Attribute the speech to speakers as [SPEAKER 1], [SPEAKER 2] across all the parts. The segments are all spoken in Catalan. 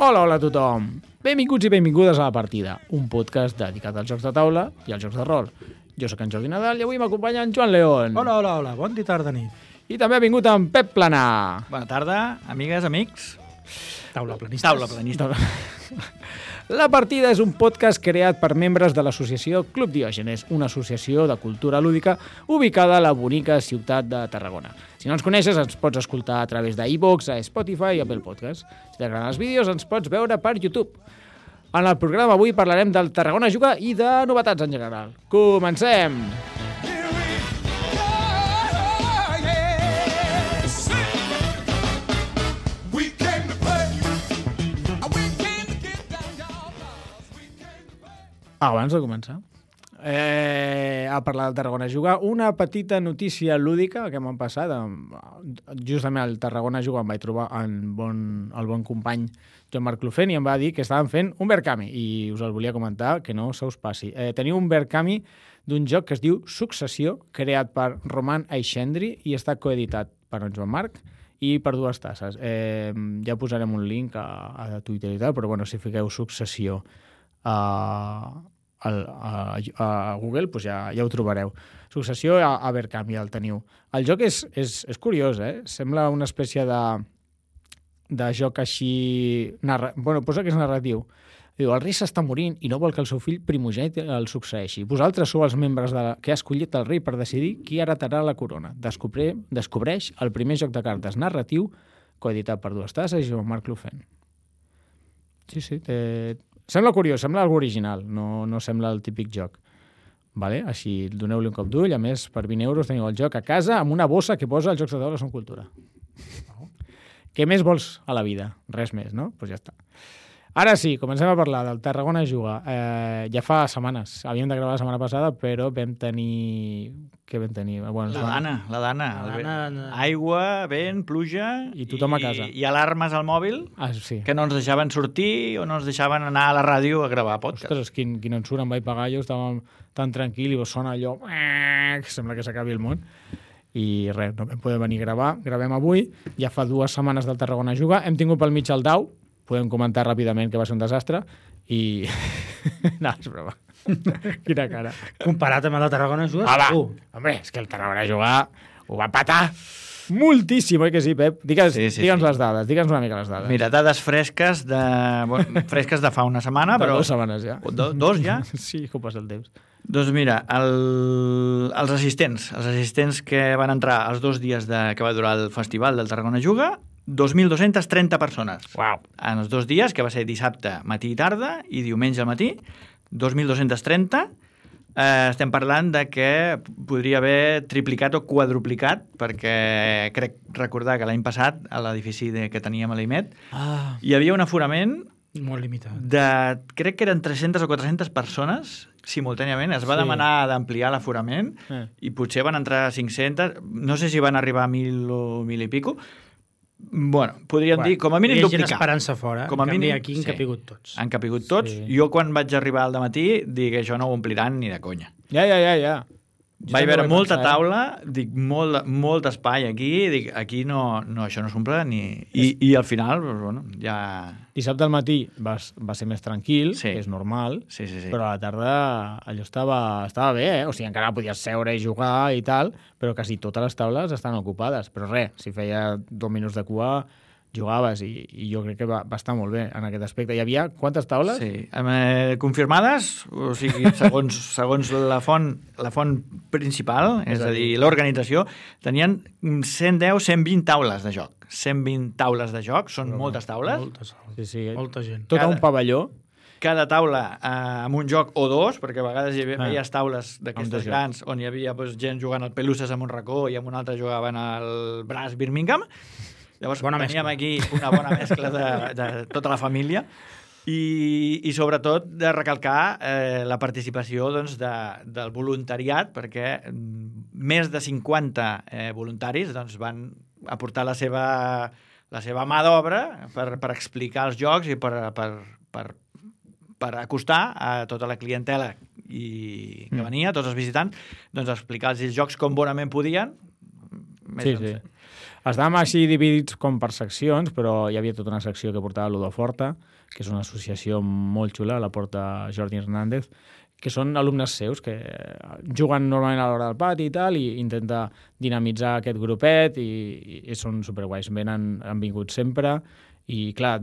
[SPEAKER 1] Hola a tothom. Benvinguts i benvingudes a La Partida, un podcast dedicat als jocs de taula i als jocs de rol. Jo sóc en Jordi Nadal i avui m'acompanya en Joan León.
[SPEAKER 2] Hola, bon dia, tarda, nit.
[SPEAKER 1] I també ha vingut en Pep Planà.
[SPEAKER 3] Bona tarda, amigues, amics.
[SPEAKER 2] Taula planistes.
[SPEAKER 3] Taula planista.
[SPEAKER 1] La Partida és un podcast creat per membres de l'associació Club Diògenes, una associació de cultura lúdica ubicada a la bonica ciutat de Tarragona. Si no ens coneixes, ens pots escoltar a través d'iVoox, a Spotify i Apple Podcast. Si t'agraden els vídeos, ens pots veure per YouTube. En el programa avui parlarem del Tarragona Juga i de novetats en general. Comencem! Abans de començar, a parlar del Tarragona Juga, una petita notícia lúdica que m'han passat. Justament al Tarragona Juga em vaig trobar el bon company Joan-Marc Clofent i em va dir que estaven fent un Verkami i us el volia comentar, que no se us passi. Teniu un Verkami d'un joc que es diu Successió, creat per Roman Aixendri i està coeditat per en Joan-Marc i per dues tasses. Ja posarem un link a Twitter i tal, però bueno, si fiqueu Successió a Google, doncs ja ho trobareu. Successió a Verkami, el teniu. El joc és curiós, Sembla una espècie de joc així... posa que és narratiu. Diu, el rei s'està morint i no vol que el seu fill primogènit el succeeixi. Vosaltres sou els membres que ha escollit el rei per decidir qui heretarà la corona. Descobreix el primer joc de cartes narratiu coeditat per dues tasses i Joan-Marc Clofent. Sí, sembla curiós, sembla algo original, no sembla el típic joc. Vale? Així, doneu-li un cop d'ull. A més, per 20 euros teniu el joc a casa amb una bossa que posa els jocs de taula són cultura. Què més vols a la vida? Res més, no? Doncs ja està. Ara sí, comencem a parlar del Tarragona Juga. Ja fa setmanes. Havíem de gravar la setmana passada, però vam tenir... Què vam tenir? Bueno,
[SPEAKER 3] La dana. Aigua, vent, pluja...
[SPEAKER 1] I tothom a casa.
[SPEAKER 3] I alarmes al mòbil
[SPEAKER 1] sí.
[SPEAKER 3] que no ens deixaven sortir o no ens deixaven anar a la ràdio a gravar podcast.
[SPEAKER 1] Ostres, quin ensurt em vaig pagar jo, estàvem tan tranquil i sona allò... que sembla que s'acabi el món. I res, no vam poder venir a gravar. Gravem avui. Ja fa 2 setmanes del Tarragona Juga. Hem tingut pel mig el Dau. Podem comentar ràpidament que va ser un desastre i... no, és broma. Quina cara.
[SPEAKER 2] Comparat amb el de Tarragona Juga...
[SPEAKER 1] Home, és que el Tarragona Juga ho va patar moltíssim, oi que sí, Pep? Digue'ns les dades, digue'ns una mica les dades.
[SPEAKER 3] Mira, dades fresques de fa una setmana, però...
[SPEAKER 1] 2 setmanes ja.
[SPEAKER 3] 2 ja?
[SPEAKER 1] Sí, com passa el temps.
[SPEAKER 3] Doncs mira, els assistents que van entrar els 2 dies que va durar el festival del Tarragona Juga, 2.230 persones.
[SPEAKER 1] Uau.
[SPEAKER 3] En els 2 dies, que va ser dissabte, matí i tarda, i diumenge al matí, 2.230. Estem parlant de que podria haver triplicat o quadruplicat, perquè crec recordar que l'any passat, a l'edifici que teníem a l'IMET, hi havia un aforament
[SPEAKER 2] molt limitat.
[SPEAKER 3] Crec que eren 300 o 400 persones simultàniament. Es va demanar d'ampliar l'aforament i potser van entrar 500. No sé si van arribar a 1.000 o 1.000 i pico. Bueno, podríem dir, com a mínim duplicar.
[SPEAKER 2] Hi ha gent esperant-se fora,
[SPEAKER 3] com a mínim,
[SPEAKER 2] aquí han capigut tots.
[SPEAKER 3] Han capigut tots. Sí. Jo, quan vaig arribar al dematí, dic que això no ho ompliran ni de conya.
[SPEAKER 1] Ja.
[SPEAKER 3] Vaig veure molta taula, dic, molt espai aquí, dic, aquí no, això no s'omple ni... I al final, doncs, bueno, ja...
[SPEAKER 1] Dissabte al matí va ser més tranquil, que és normal,
[SPEAKER 3] sí.
[SPEAKER 1] Però a la tarda allò estava bé, O sigui, encara podies seure i jugar i tal, però quasi totes les taules estan ocupades. Però res, si feia 2 minuts de cua, jugaves i jo crec que va estar molt bé en aquest aspecte. Hi havia quantes taules?
[SPEAKER 3] Sí, confirmades, o sigui, segons la font principal, és a dir, l'organització, tenien 110-120 taules de joc. 120 taules de joc, són moltes taules.
[SPEAKER 1] Sí,
[SPEAKER 2] molta gent.
[SPEAKER 1] Tot un pavelló.
[SPEAKER 3] Cada taula amb un joc o 2, perquè a vegades hi havia taules d'aquestes grans on hi havia gent jugant al Pelusses en un racó i en un altre jugaven al Brass Birmingham. Llavors teníem aquí una bona mescla de tota la família i sobretot de recalcar la participació del voluntariat, perquè més de 50 voluntaris van aportar la seva mà d'obra per explicar els jocs i per acostar a tota la clientela que venia, tots els visitants, explicar els jocs com bonament podien.
[SPEAKER 1] Sí. Estàvem així dividits com per seccions, però hi havia tota una secció que portava Ludoforta, que és una associació molt xula, la porta Jordi Hernández, que són alumnes seus que juguen normalment a l'hora del pati i tal, i intenta dinamitzar aquest grupet, i són superguais. Han vingut sempre, i clar,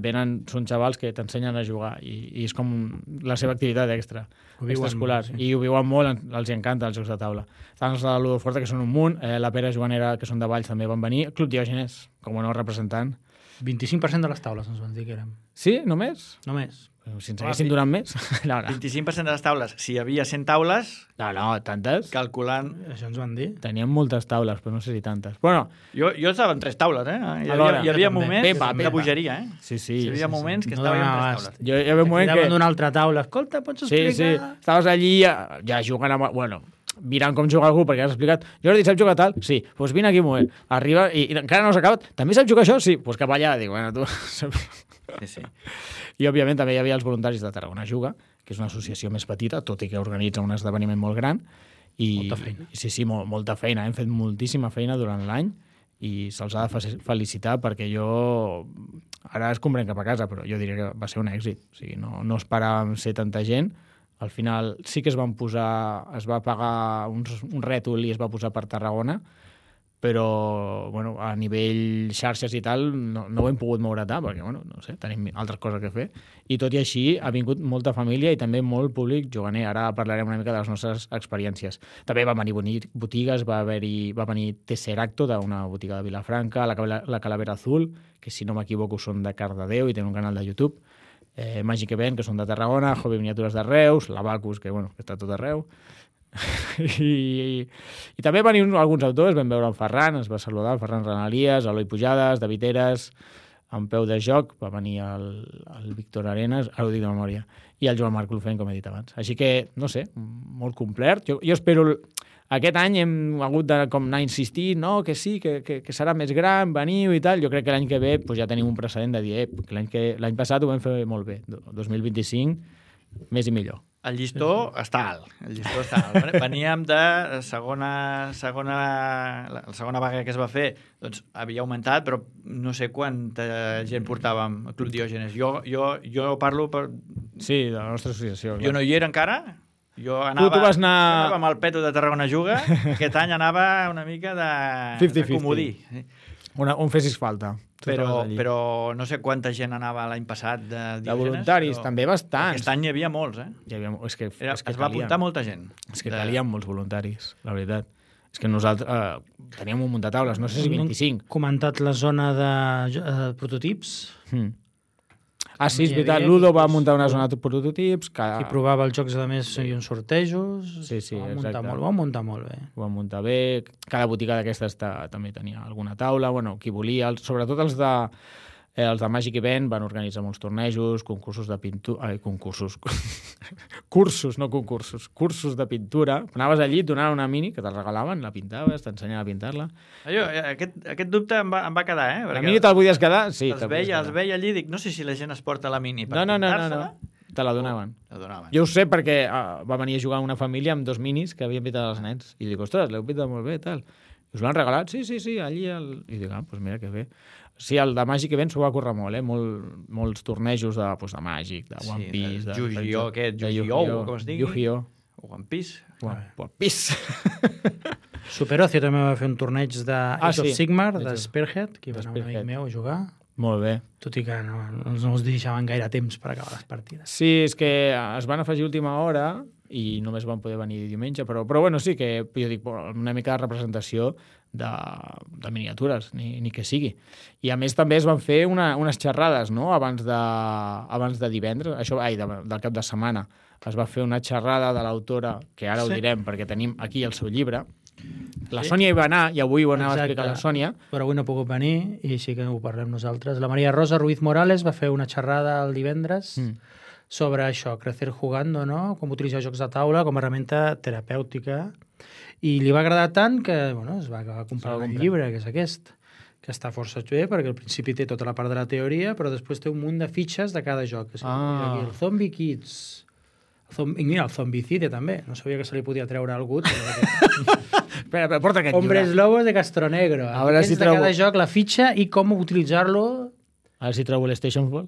[SPEAKER 1] són xavals que t'ensenyen a jugar, i és com la seva activitat extraescolar, i ho viuen molt, els encanta els jocs de taula. Estan els de la Ludoforta, que són un munt, la Pere Joanera, que són de Valls, també van venir, Club Diògenes, com a nou representant.
[SPEAKER 2] 25% de les taules ens van dir que érem.
[SPEAKER 1] Sí? Només?
[SPEAKER 2] Només.
[SPEAKER 1] Si ens haguessin donat més... No.
[SPEAKER 3] 25% de les taules. Si hi havia 100 taules...
[SPEAKER 1] No, tantes.
[SPEAKER 3] Calculant...
[SPEAKER 2] Això ens van dir.
[SPEAKER 1] Teníem moltes taules, però no sé si tantes. Bueno,
[SPEAKER 3] jo estava en 3 taules, Hi havia moments de bogeria,
[SPEAKER 1] Sí.
[SPEAKER 3] Hi havia moments que estava en 3 taules.
[SPEAKER 1] Hi havia un moment que...
[SPEAKER 2] d'una altra taula. Escolta, pots explicar?
[SPEAKER 1] Sí. Estaves allí ja jugant amb... Bueno, mirant com juga algú, perquè has explicat, Jordi, saps jugar tal? Sí, doncs vine aquí un moment. Arriba i encara no s'ha acabat. També saps jugar això? Sí, doncs cap allà. Dic, bueno, tu...
[SPEAKER 3] Sí.
[SPEAKER 1] I, òbviament, també hi havia els voluntaris de Tarragona Juga, que és una associació més petita, tot i que organitza un esdeveniment molt gran.
[SPEAKER 2] Molta feina.
[SPEAKER 1] Sí, molta feina. Hem fet moltíssima feina durant l'any i se'ls ha de felicitar perquè jo... Ara es comprèn cap a casa, però jo diria que va ser un èxit. O sigui, no esperàvem ser tanta gent. Al final sí que es va pagar un rètol i es va posar per Tarragona, però bueno, a nivell xarxes i tal no ho hem pogut moure tant, perquè bueno, no sé, tenim altres coses que fer. I tot i així ha vingut molta família i també molt públic juganer. Ara parlarem una mica de les nostres experiències. També van venir botigues, va venir Tesseracto, d'una botiga de Vilafranca, la Calavera Azul, que si no m'equivoco són de Cardedeu i tenen un canal de YouTube, Magic Event, que són de Tarragona, Hobby Miniatures de Reus, la Bacus, que està tot arreu. I també van venir alguns autors, vam veure el Ferran, ens va saludar, el Ferran Renalies, Eloi Pujades, David Eres, en peu de joc, va venir el Víctor Arenas, ara ho dic de memòria, i el Joan Marc Lufent, com he dit abans. Així que, no sé, molt complet. Jo espero... Aquest any hem hagut de anar insistint, no, que sí, que serà més gran, veniu i tal. Jo crec que l'any que ve ja tenim un precedent de dir que l'any passat ho vam fer molt bé. 2025, més i millor.
[SPEAKER 3] El llistó està alt. Veníem de la segona vaga que es va fer, doncs havia augmentat, però no sé quanta gent portàvem al Club Diògenes. Jo parlo per...
[SPEAKER 1] Sí, de la nostra associació.
[SPEAKER 3] Jo no hi era encara. Jo anava amb el Peto de Tarragona Juga. Aquest any anava una mica de comodí.
[SPEAKER 1] Un fessis falta.
[SPEAKER 3] Però no sé quanta gent anava l'any passat de Diògenes.
[SPEAKER 1] De voluntaris, també bastants.
[SPEAKER 3] Aquest any hi havia molts, es va apuntar molta gent.
[SPEAKER 1] És que calien molts voluntaris, la veritat. És que nosaltres teníem un munt de taules, no sé si 25.
[SPEAKER 2] Comentat la zona de prototips.
[SPEAKER 1] Ah, sí, és veritat. Ludo va muntar una zona de prototips.
[SPEAKER 2] Qui provava els jocs, a més, hi havia uns sortejos.
[SPEAKER 1] Sí, exacte.
[SPEAKER 2] Ho van muntar molt bé.
[SPEAKER 1] Ho van muntar bé. Cada botiga d'aquestes també tenia alguna taula. Bueno, qui volia, sobretot els de Magic Event van organitzar molts tornejos, concursos de pintura... Cursos de pintura. Anaves allí, et donaven una mini que te regalaven, la pintaves, t'ensenyaven a pintar-la.
[SPEAKER 3] Aquest dubte em va quedar,
[SPEAKER 1] La mini te'l podies quedar? Sí.
[SPEAKER 3] Els veia allí i dic, no sé si la gent es porta la mini per
[SPEAKER 1] No. Te la donaven. Jo ho sé perquè va venir a jugar una família amb 2 minis que havien pintat els nens. I dic, ostres, l'heu pintat molt bé, tal. I us l'han regalat? Sí, allí... I dic, doncs mira que bé. Sí, el de Magic Event s'ho va córrer molt, molts tornejos de Magic, de One Piece...
[SPEAKER 3] de Yu-Gi-Oh! Yu-Gi-Oh! Com es digui?
[SPEAKER 1] Yu-Gi-Oh!
[SPEAKER 3] One Piece.
[SPEAKER 1] One Piece.
[SPEAKER 2] Superocio també va fer un torneig de Age of Sigmar, de Spearhead, que va anar un amic meu a jugar.
[SPEAKER 1] Molt bé.
[SPEAKER 2] Tot i que no us deixaven gaire temps per acabar les partides.
[SPEAKER 1] Sí, és que es van afegir a última hora i només van poder venir diumenge, però bueno, sí que jo dic, una mica de representació de miniatures, ni que sigui. I a més també es van fer unes xerrades, no?, abans de divendres, del cap de setmana. Es va fer una xerrada de l'autora, que ara ho direm perquè tenim aquí el seu llibre. La Sònia hi va anar, i avui ho anava a explicar la Sònia.
[SPEAKER 2] Però avui no ha pogut venir, i sí que ho parlem nosaltres. La Maria Rosa Ruiz Morales va fer una xerrada el divendres sobre això, crecer jugando, no? Com utilitzar jocs de taula com a herramienta terapèutica. I li va agradar tant que es va acabar comprant el llibre, que és aquest, que està força bé, perquè al principi té tota la part de la teoria, però després té un munt de fitxes de cada joc. Aquí el Zombie Kids... Mira, el Zombicide també. No sabia que se li podia treure algú.
[SPEAKER 1] Espera, porta aquest
[SPEAKER 2] Hombres
[SPEAKER 1] llibre.
[SPEAKER 2] Lobos de Castronegro.
[SPEAKER 1] A veure si
[SPEAKER 2] de
[SPEAKER 1] trobo-
[SPEAKER 2] cada joc, la fitxa i com utilitzar-lo.
[SPEAKER 1] A veure si trobo l'Station Ball.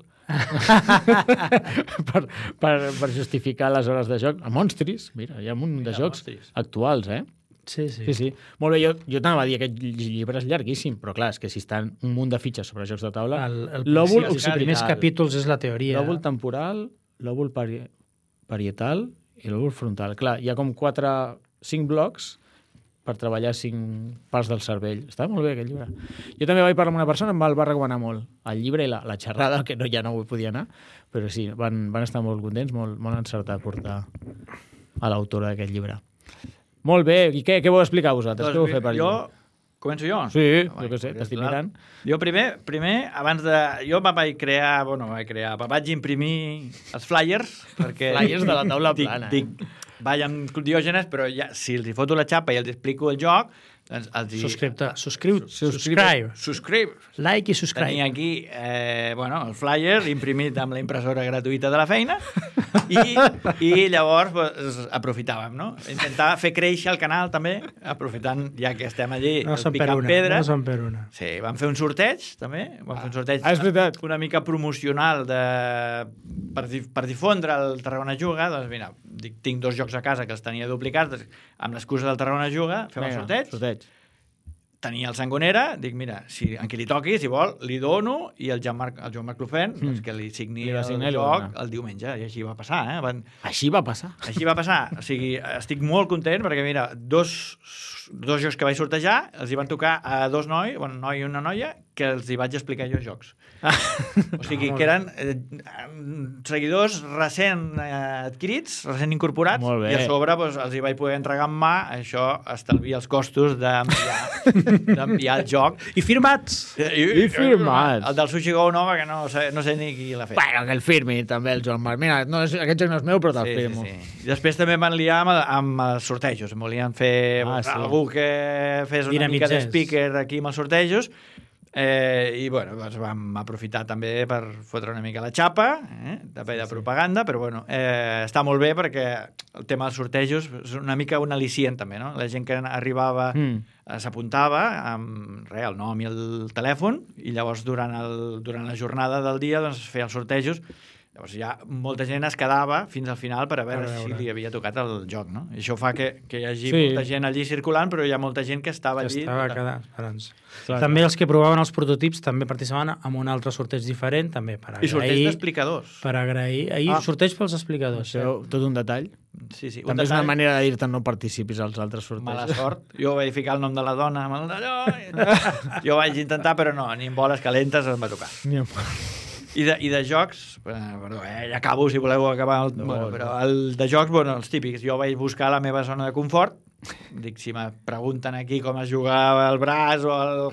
[SPEAKER 1] per justificar les hores de joc. A Monstris, mira, hi ha un munt de jocs
[SPEAKER 3] Monstris.
[SPEAKER 1] actuals, eh?
[SPEAKER 2] Sí.
[SPEAKER 1] Sí. Molt bé, jo t'anava a dir, aquest llibre és llarguíssim, però clar, és que si estan un munt de fitxes sobre jocs de taula...
[SPEAKER 2] Lòbul, els primers capítols és la teoria.
[SPEAKER 1] Lòbul temporal, lòbul parietal i lòbul frontal. Clar, hi ha com 5 blocs per treballar 5 parts del cervell. Està molt bé, aquest llibre. Jo també vaig parlar amb una persona, em va recomanar molt el llibre i la xerrada, que ja no ho podia anar, però sí, van estar molt contents, molt encertat portar a l'autora d'aquest llibre. Molt bé, i què vau explicar vosaltres? Què vau fer per allà?
[SPEAKER 3] Començo jo?
[SPEAKER 1] Sí, jo què sé, t'estic mirant.
[SPEAKER 3] Jo primer, abans de... Jo vaig vaig imprimir els flyers, perquè...
[SPEAKER 1] Flyers de la taula plana.
[SPEAKER 3] Vaig amb Diògenes, però ja, si els hi foto la xapa i els explico el joc, doncs subscribe.
[SPEAKER 2] Like i subscribe.
[SPEAKER 3] Tenia aquí el flyer imprimit amb la impressora gratuïta de la feina i llavors pues, aprofitàvem, no? Intentava fer créixer el canal també, aprofitant ja que estem allí picant pedra.
[SPEAKER 2] No són per una.
[SPEAKER 3] Sí, vam fer un sorteig també, vam fer un sorteig
[SPEAKER 1] és veritat.
[SPEAKER 3] una mica promocional per difondre el Tarragona Juga. Doncs mira, tinc 2 jocs a casa que els tenia duplicats, amb l'excusa del Tarragona Juga, fem el sorteig. Tenia el Sangonera, dic, mira, en qui li toqui, si vol, li dono, i el Joan-Marc Clofent, doncs que li signi el joc el diumenge, i així va passar.
[SPEAKER 1] Així va passar?
[SPEAKER 3] Així va passar. O sigui, estic molt content, perquè mira, dos jocs que vaig sortejar, els hi van tocar a 2 nois, un noi i una noia, que els hi vaig explicar jo jocs. O sigui, que eren seguidors recent adquirits, recent incorporats, i a sobre doncs, els hi vaig poder entregar en mà, això estalvia els costos d'enviar el joc.
[SPEAKER 2] I firmats!
[SPEAKER 1] I firmats!
[SPEAKER 3] El del Sushi Go no, perquè no sé ni qui l'ha fet.
[SPEAKER 1] Bueno, que el firmi també, el Joan Marc. Mira, aquest joc no és meu, però te'l firmo.
[SPEAKER 3] Sí. I després també van liar amb els sortejos. Em volien fer algú que fes una mica de speaker aquí amb els sortejos. I bueno, doncs vam aprofitar també per fotre una mica la xapa, també de propaganda, però bueno, està molt bé perquè el tema dels sortejos és una mica un al·licient també, no? La gent que arribava s'apuntava amb el nom i el telèfon i llavors durant la jornada del dia doncs feia els sortejos. Llavors ja molta gent es quedava fins al final per a veure si li havia tocat el joc, no? I això fa que hi hagi molta gent allí circulant, però hi ha molta gent que estava allí.
[SPEAKER 2] També els que provaven els prototips també participaven en un altre sorteig diferent, també per agrair.
[SPEAKER 3] I sorteig d'explicadors.
[SPEAKER 2] Per agrair. Ahir sorteig pels explicadors.
[SPEAKER 1] Això, tot un detall.
[SPEAKER 3] Sí.
[SPEAKER 1] També és una manera de dir-te no participis als altres sortejos.
[SPEAKER 3] Mala sort. Jo vaig ficar el nom de la dona amb el d'allò. Jo vaig intentar, però no, ni en boles calentes em va tocar. I de jocs, perdó, ja acabo si voleu acabar, però el de jocs, els típics, jo vaig buscar la meva zona de confort, dic, si me pregunten aquí com es jugava el braç o el...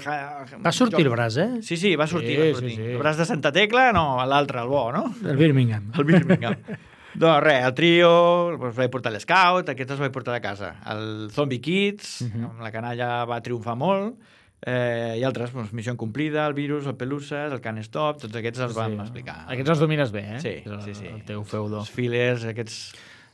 [SPEAKER 2] Va sortir el braç,
[SPEAKER 3] Sí, va sortir. El braç de Santa Tecla, no, l'altre, el bo, no?
[SPEAKER 2] El Birmingham.
[SPEAKER 3] Doncs res, el trio, els vaig portar l'Scout, aquests els vaig portar de casa. El Zombie Kids, amb la canalla va triomfar molt, i altres, Missió Incomplida, el Virus, el Peluses, el Can't Stop, tots aquests els vam explicar.
[SPEAKER 1] Aquests els domines bé,
[SPEAKER 3] Sí.
[SPEAKER 1] El teu feudo.
[SPEAKER 3] Els fillers, aquests...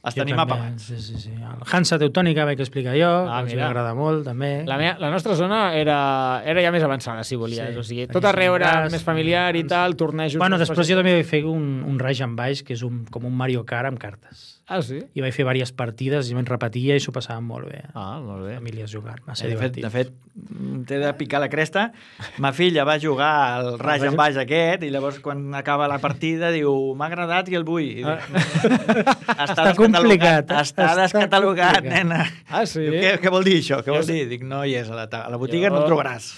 [SPEAKER 3] Els tenim apagats.
[SPEAKER 2] Sí. El Hansa Teutònica vaig explicar jo, que m'agrada molt, també.
[SPEAKER 1] La nostra zona era ja més avançada, si volies. O sigui, tot arreu era més familiar i tal, tornejos...
[SPEAKER 2] Bueno, després jo també vaig fer un Rage and Baix, que és com un Mario Kart amb cartes.
[SPEAKER 1] Ah, sí?
[SPEAKER 2] I vaig fer diverses partides i me'n repetia i s'ho passàvem molt bé.
[SPEAKER 1] Molt bé.
[SPEAKER 2] Famílies jugant, va ser
[SPEAKER 3] divertit.
[SPEAKER 2] divertit.
[SPEAKER 3] De fet, t'he de picar la cresta. Ma filla va jugar al Rage and Baix aquest i llavors quan acaba la partida diu, m'ha agradat i el vull. I dic,
[SPEAKER 2] està complicat.
[SPEAKER 3] Està descatalogat, nena.
[SPEAKER 1] Ah, sí?
[SPEAKER 3] Diu, què vol dir això? Què vol dir? Dic, no hi és, a la botiga no el trobaràs.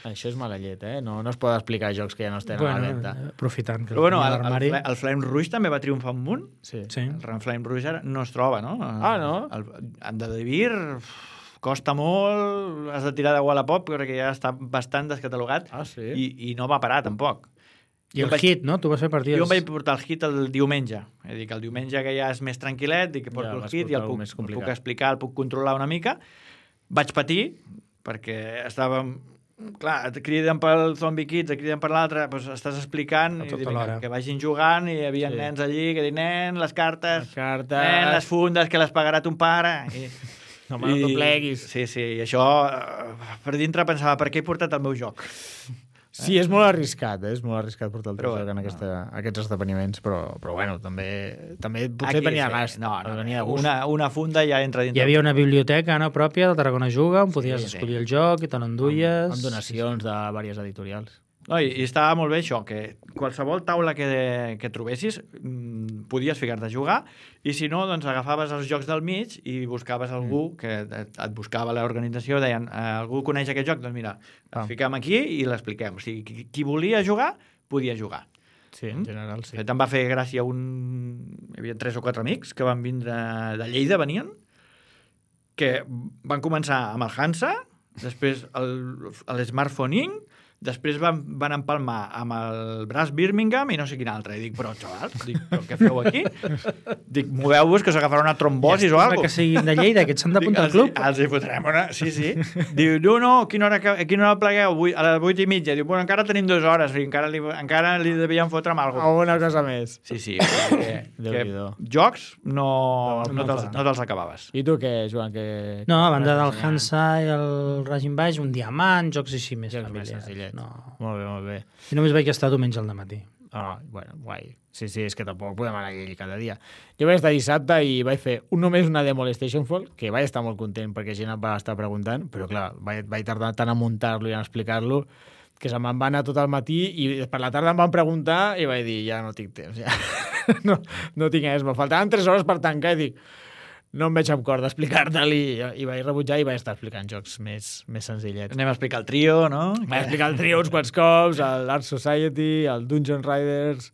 [SPEAKER 1] Això és mala llet, No es pot explicar jocs que ja no estem a la venda.
[SPEAKER 2] Aprofitant.
[SPEAKER 3] Però bueno, el Flame Rouge també va triomfar un munt.
[SPEAKER 1] Sí.
[SPEAKER 3] El Flame Rouge no es troba, no?
[SPEAKER 1] No?
[SPEAKER 3] El de Devir costa molt, has de tirar de Wallapop perquè ja està bastant descatalogat.
[SPEAKER 1] Ah, sí?
[SPEAKER 3] I no va parar, tampoc.
[SPEAKER 2] I el hit, no? Tu vas fer partides...
[SPEAKER 3] Jo em vaig portar el hit el diumenge. És a dir, que el diumenge que ja és més tranquil·let, dic que porto el hit i el puc explicar, el puc controlar una mica. Vaig patir, perquè estàvem... Clar, et criden pel Zombie Kids, et criden per l'altre, doncs estàs explicant i que vagin jugant i hi havia nens allí que diuen, nen, les cartes, nen, les fundes que les pagarà ton pare...
[SPEAKER 1] No t'ho pleguis.
[SPEAKER 3] Sí, i això, per dintre pensava, per què he portat el meu joc?
[SPEAKER 1] Sí, és molt arriscat, és molt arriscat portar el teu joc en aquests esdeveniments, però bueno, també potser venia a gast.
[SPEAKER 3] No, una funda ja entra dintre.
[SPEAKER 2] Hi havia una biblioteca pròpia del Tarragona Juga, on podies escollir el joc i te l'enduies.
[SPEAKER 1] Amb donacions de diverses editorials.
[SPEAKER 3] No, i estava molt bé això, que qualsevol taula que trobessis podies ficar-te a jugar, i si no, doncs agafaves els jocs del mig i buscaves algú que et buscava l'organització, deien, algú coneix aquest joc? Doncs mira, el fiquem aquí i l'expliquem. O sigui, qui volia jugar, podia jugar.
[SPEAKER 1] Sí, en general, sí.
[SPEAKER 3] Em va fer gràcia hi havia 3 o 4 amics que van vindre de Lleida, venien, que van començar amb el Hansa, després l'Smartphone Inc., després van empalmar amb el Brass Birmingham i no sé quin altre. I dic, però, xavals, però què feu aquí? Dic, moveu-vos que us agafarà una trombosis o alguna cosa.
[SPEAKER 2] Que siguin de Lleida, que et s'han d'apuntar al club.
[SPEAKER 3] Els hi fotrem una... Sí. Diu, no, a quina hora plegueu? A les 8:30. Diu, bueno, encara tenim 2 hores. Encara li devien fotre amb alguna cosa.
[SPEAKER 1] Alguna cosa més.
[SPEAKER 3] Sí. Que jocs no te'ls acabaves.
[SPEAKER 1] I tu què, Joan?
[SPEAKER 2] No, a banda del Hansa i el Raging Baix, un diamant, jocs així més familiars.
[SPEAKER 1] No. Molt bé.
[SPEAKER 2] I només vaig estar diumenge al dematí.
[SPEAKER 1] Bueno, guai. Sí, és que tampoc podem anar allà cada dia. Jo vaig estar dissabte i vaig fer només una demo a Stationfall, que vaig estar molt content perquè gent em va estar preguntant, però clar, vaig tardar tant a muntar-lo i a explicar-lo que se'm va anar tot el matí i per la tarda em van preguntar i vaig dir, ja no tinc temps, ja. no tinc res. Me faltaven 3 hores per tancar i dic, no em veig amb cor d'explicar-te'l i vaig rebutjar i vaig estar explicant jocs més senzillets.
[SPEAKER 3] Anem a explicar el trio, no?
[SPEAKER 1] Vaig explicar el trio uns quants cops, l'Art Society, el Dungeon Riders,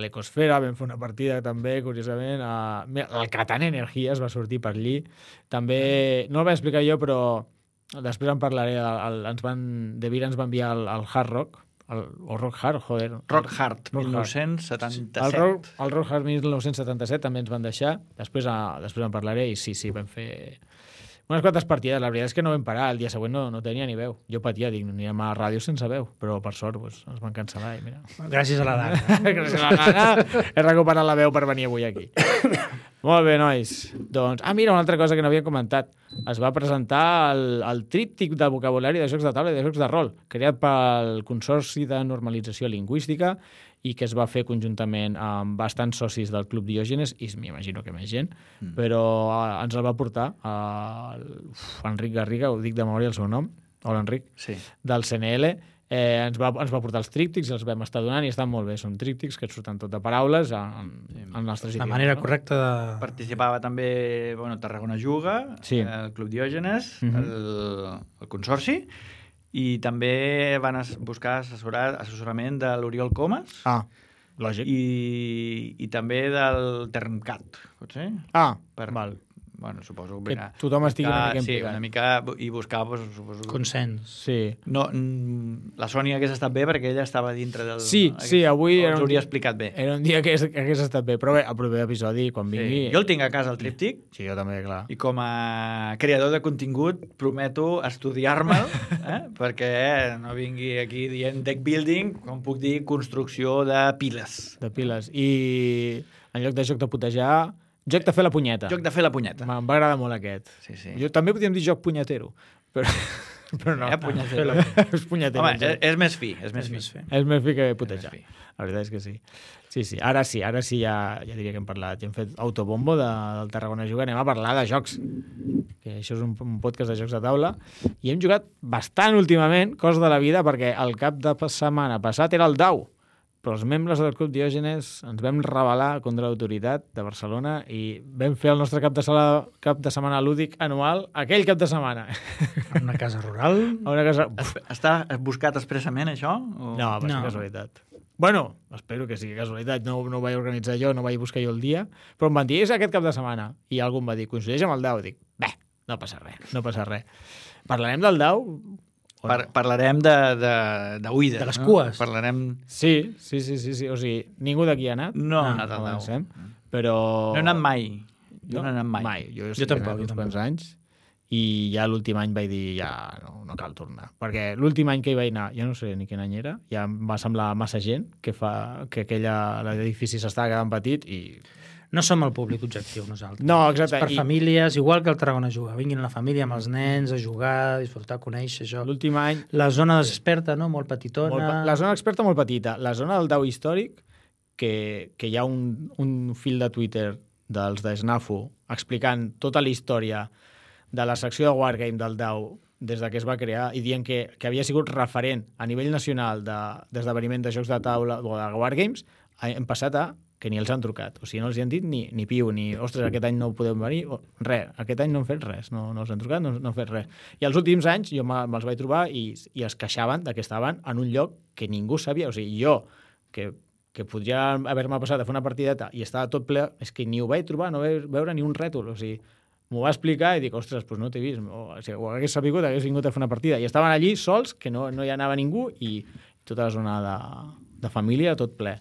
[SPEAKER 1] l'Ecosfera, vam fer una partida també, curiosament. El Catan Energies va sortir per allí. També, no el vaig explicar jo, però després en parlaré. De Vira ens va enviar el Hard Rock, o Rock Hard, joder.
[SPEAKER 3] Rock Hard, 1977.
[SPEAKER 1] El Rock Hard 1977 també ens van deixar. Després en parlaré i sí, vam fer unes quantes partides. La veritat és que no vam parar. El dia següent no tenia ni veu. Jo patia, dic, no anirem a la ràdio sense veu. Però per sort ens van cancel·lar i mira.
[SPEAKER 2] Gràcies a la Dana.
[SPEAKER 1] Gràcies a la Dana he recuperat la veu per venir avui aquí. Molt bé, nois. Doncs, mira, una altra cosa que no havíem comentat. Es va presentar el tríptic de vocabulari de jocs de taula i de jocs de rol, creat pel Consorci de Normalització Lingüística i que es va fer conjuntament amb bastants socis del Club Diògenes, i m'imagino que més gent, però ens el va portar Enric Garriga, ho dic de memòria el seu nom, hola Enric,
[SPEAKER 3] sí.
[SPEAKER 1] Del CNL. Ens va portar els tríptics i els vam estar donant i estan molt bé. Són tríptics que et surten tot de paraules en els nostres idiomes.
[SPEAKER 2] La manera correcta de...
[SPEAKER 3] Participava també Tarragona Juga,
[SPEAKER 1] sí.
[SPEAKER 3] El Club Diògenes, el Consorci, i també van buscar assessorament de l'Oriol Comas.
[SPEAKER 1] Lògic.
[SPEAKER 3] I també del Termcat, pot ser?
[SPEAKER 1] Val.
[SPEAKER 3] Bueno, suposo
[SPEAKER 1] que tothom estigui una mica implicat.
[SPEAKER 3] Sí, una mica, i buscar suposo...
[SPEAKER 2] consens.
[SPEAKER 1] Sí.
[SPEAKER 3] No, la Sònia hagués estat bé perquè ella estava dintre del...
[SPEAKER 1] Sí, avui...
[SPEAKER 3] Ens hauria explicat bé.
[SPEAKER 1] Era un dia que hagués estat bé, però bé, el proper episodi, quan vingui...
[SPEAKER 3] Jo el tinc a casa, el tríptic.
[SPEAKER 1] Sí, jo també, clar.
[SPEAKER 3] I com a creador de contingut prometo estudiar-me'l, perquè no vingui aquí dient deck building, com puc dir, construcció de piles.
[SPEAKER 1] De piles. I en lloc de joc de putejar... Joc de fer la punyeta.
[SPEAKER 3] Joc de fer la punyeta.
[SPEAKER 1] Em va agradar molt aquest.
[SPEAKER 3] Sí.
[SPEAKER 1] Jo també podríem dir joc punyetero, però no.
[SPEAKER 3] Punyetero.
[SPEAKER 1] És punyetero.
[SPEAKER 3] Home, és més fi. És més
[SPEAKER 1] fi que putejar. La veritat és que sí. Sí. Ara sí, ja diria que hem parlat. Ja hem fet autobombo del Tarragona Juga. Anem a parlar de jocs. Que això és un podcast de jocs de taula. I hem jugat bastant últimament, cos de la vida, perquè el cap de setmana passat era el Dau. Però els membres del Club Diògenes ens vam rebel·lar contra l'autoritat de Barcelona i vam fer el nostre cap de setmana lúdic anual aquell cap de setmana.
[SPEAKER 2] A una casa rural?
[SPEAKER 3] Està buscat expressament, això?
[SPEAKER 1] No, va ser casualitat. Bueno, espero que sigui casualitat. No ho vaig organitzar jo, no vaig buscar jo el dia, però em van dir, és aquest cap de setmana. I algú em va dir, coincideix amb el Dau. Dic, bé, no passa res. Parlarem del Dau?
[SPEAKER 3] Parlarem d'oïda.
[SPEAKER 2] De les cues.
[SPEAKER 3] Parlarem...
[SPEAKER 1] Sí. O sigui, ningú d'aquí ha anat?
[SPEAKER 3] No ha anat al Dau.
[SPEAKER 1] Però...
[SPEAKER 3] No he anat mai. Jo no he anat mai.
[SPEAKER 1] Jo tampoc. Uns quants anys. I ja l'últim any vaig dir, ja no cal tornar. Perquè l'últim any que hi vaig anar, jo no sé ni quin any era, ja em va semblar massa gent, que l'edifici s'estava quedant petit i...
[SPEAKER 2] No som el públic objectiu, nosaltres.
[SPEAKER 1] No, exacte.
[SPEAKER 2] És per famílies, igual que el Tarragona Juga. Vinguin la família amb els nens a jugar, a disfrutar, a conèixer això.
[SPEAKER 1] L'últim any...
[SPEAKER 2] La zona desperta, no? Molt petitona.
[SPEAKER 1] La zona experta molt petita. La zona del Dau històric, que hi ha un fil de Twitter dels de SNAFU explicant tota la història de la secció de Wargame del Dau des que es va crear i dient que havia sigut referent a nivell nacional d'esdeveniment de jocs de taula o de Wargames, hem passat a que ni els han trucat. O sigui, no els hi han dit ni piu, ni ostres, aquest any no podem venir, res. Aquest any no han fet res, no els han trucat, no han fet res. I els últims anys jo me'ls vaig trobar i es queixaven de que estaven en un lloc que ningú sabia. O sigui, jo, que podria haver-me passat a fer una partideta i estava tot ple, és que ni ho vaig trobar, no vaig veure ni un rètol. O sigui, m'ho va explicar i dic, ostres, doncs no t'he vist. O sigui, ho hagués sabut, hagués vingut a fer una partida. I estaven allí sols, que no hi anava ningú, i tota la zona de família, tot ple.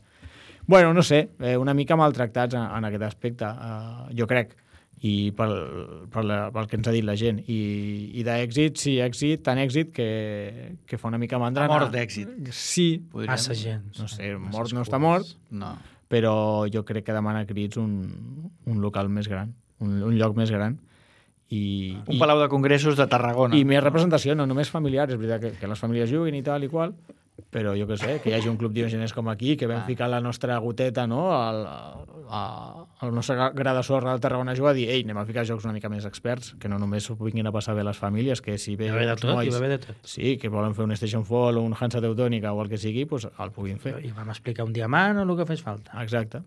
[SPEAKER 1] Bueno, no sé, una mica maltractats en aquest aspecte, jo crec, i pel que ens ha dit la gent. I d'èxit, sí, èxit, tant èxit que fa una mica mandra.
[SPEAKER 3] Mort d'èxit.
[SPEAKER 1] Sí.
[SPEAKER 2] Massa gent.
[SPEAKER 1] No sé, mort no està mort,
[SPEAKER 3] no.
[SPEAKER 1] Però jo crec que demana crits un local més gran, un lloc més gran.
[SPEAKER 3] Un palau de congressos de Tarragona.
[SPEAKER 1] I més representació, no només familiar, és veritat que les famílies juguin i tal i qual, però jo què sé, que hi hagi un club diogenès com aquí, que vam ficar la nostra goteta, no?, al nostre gra de sorra del Tarragona Juga, a dir, ei, anem a ficar jocs una mica més experts, que no només s'ho vinguin a passar bé les famílies, que si ve...
[SPEAKER 2] Hi va haver de tot.
[SPEAKER 1] Sí, que volen fer un Station Fall o un Hansa Teutònica o el que sigui, doncs el puguin fer.
[SPEAKER 2] I vam explicar un diamant o el que fes falta.
[SPEAKER 1] Exacte.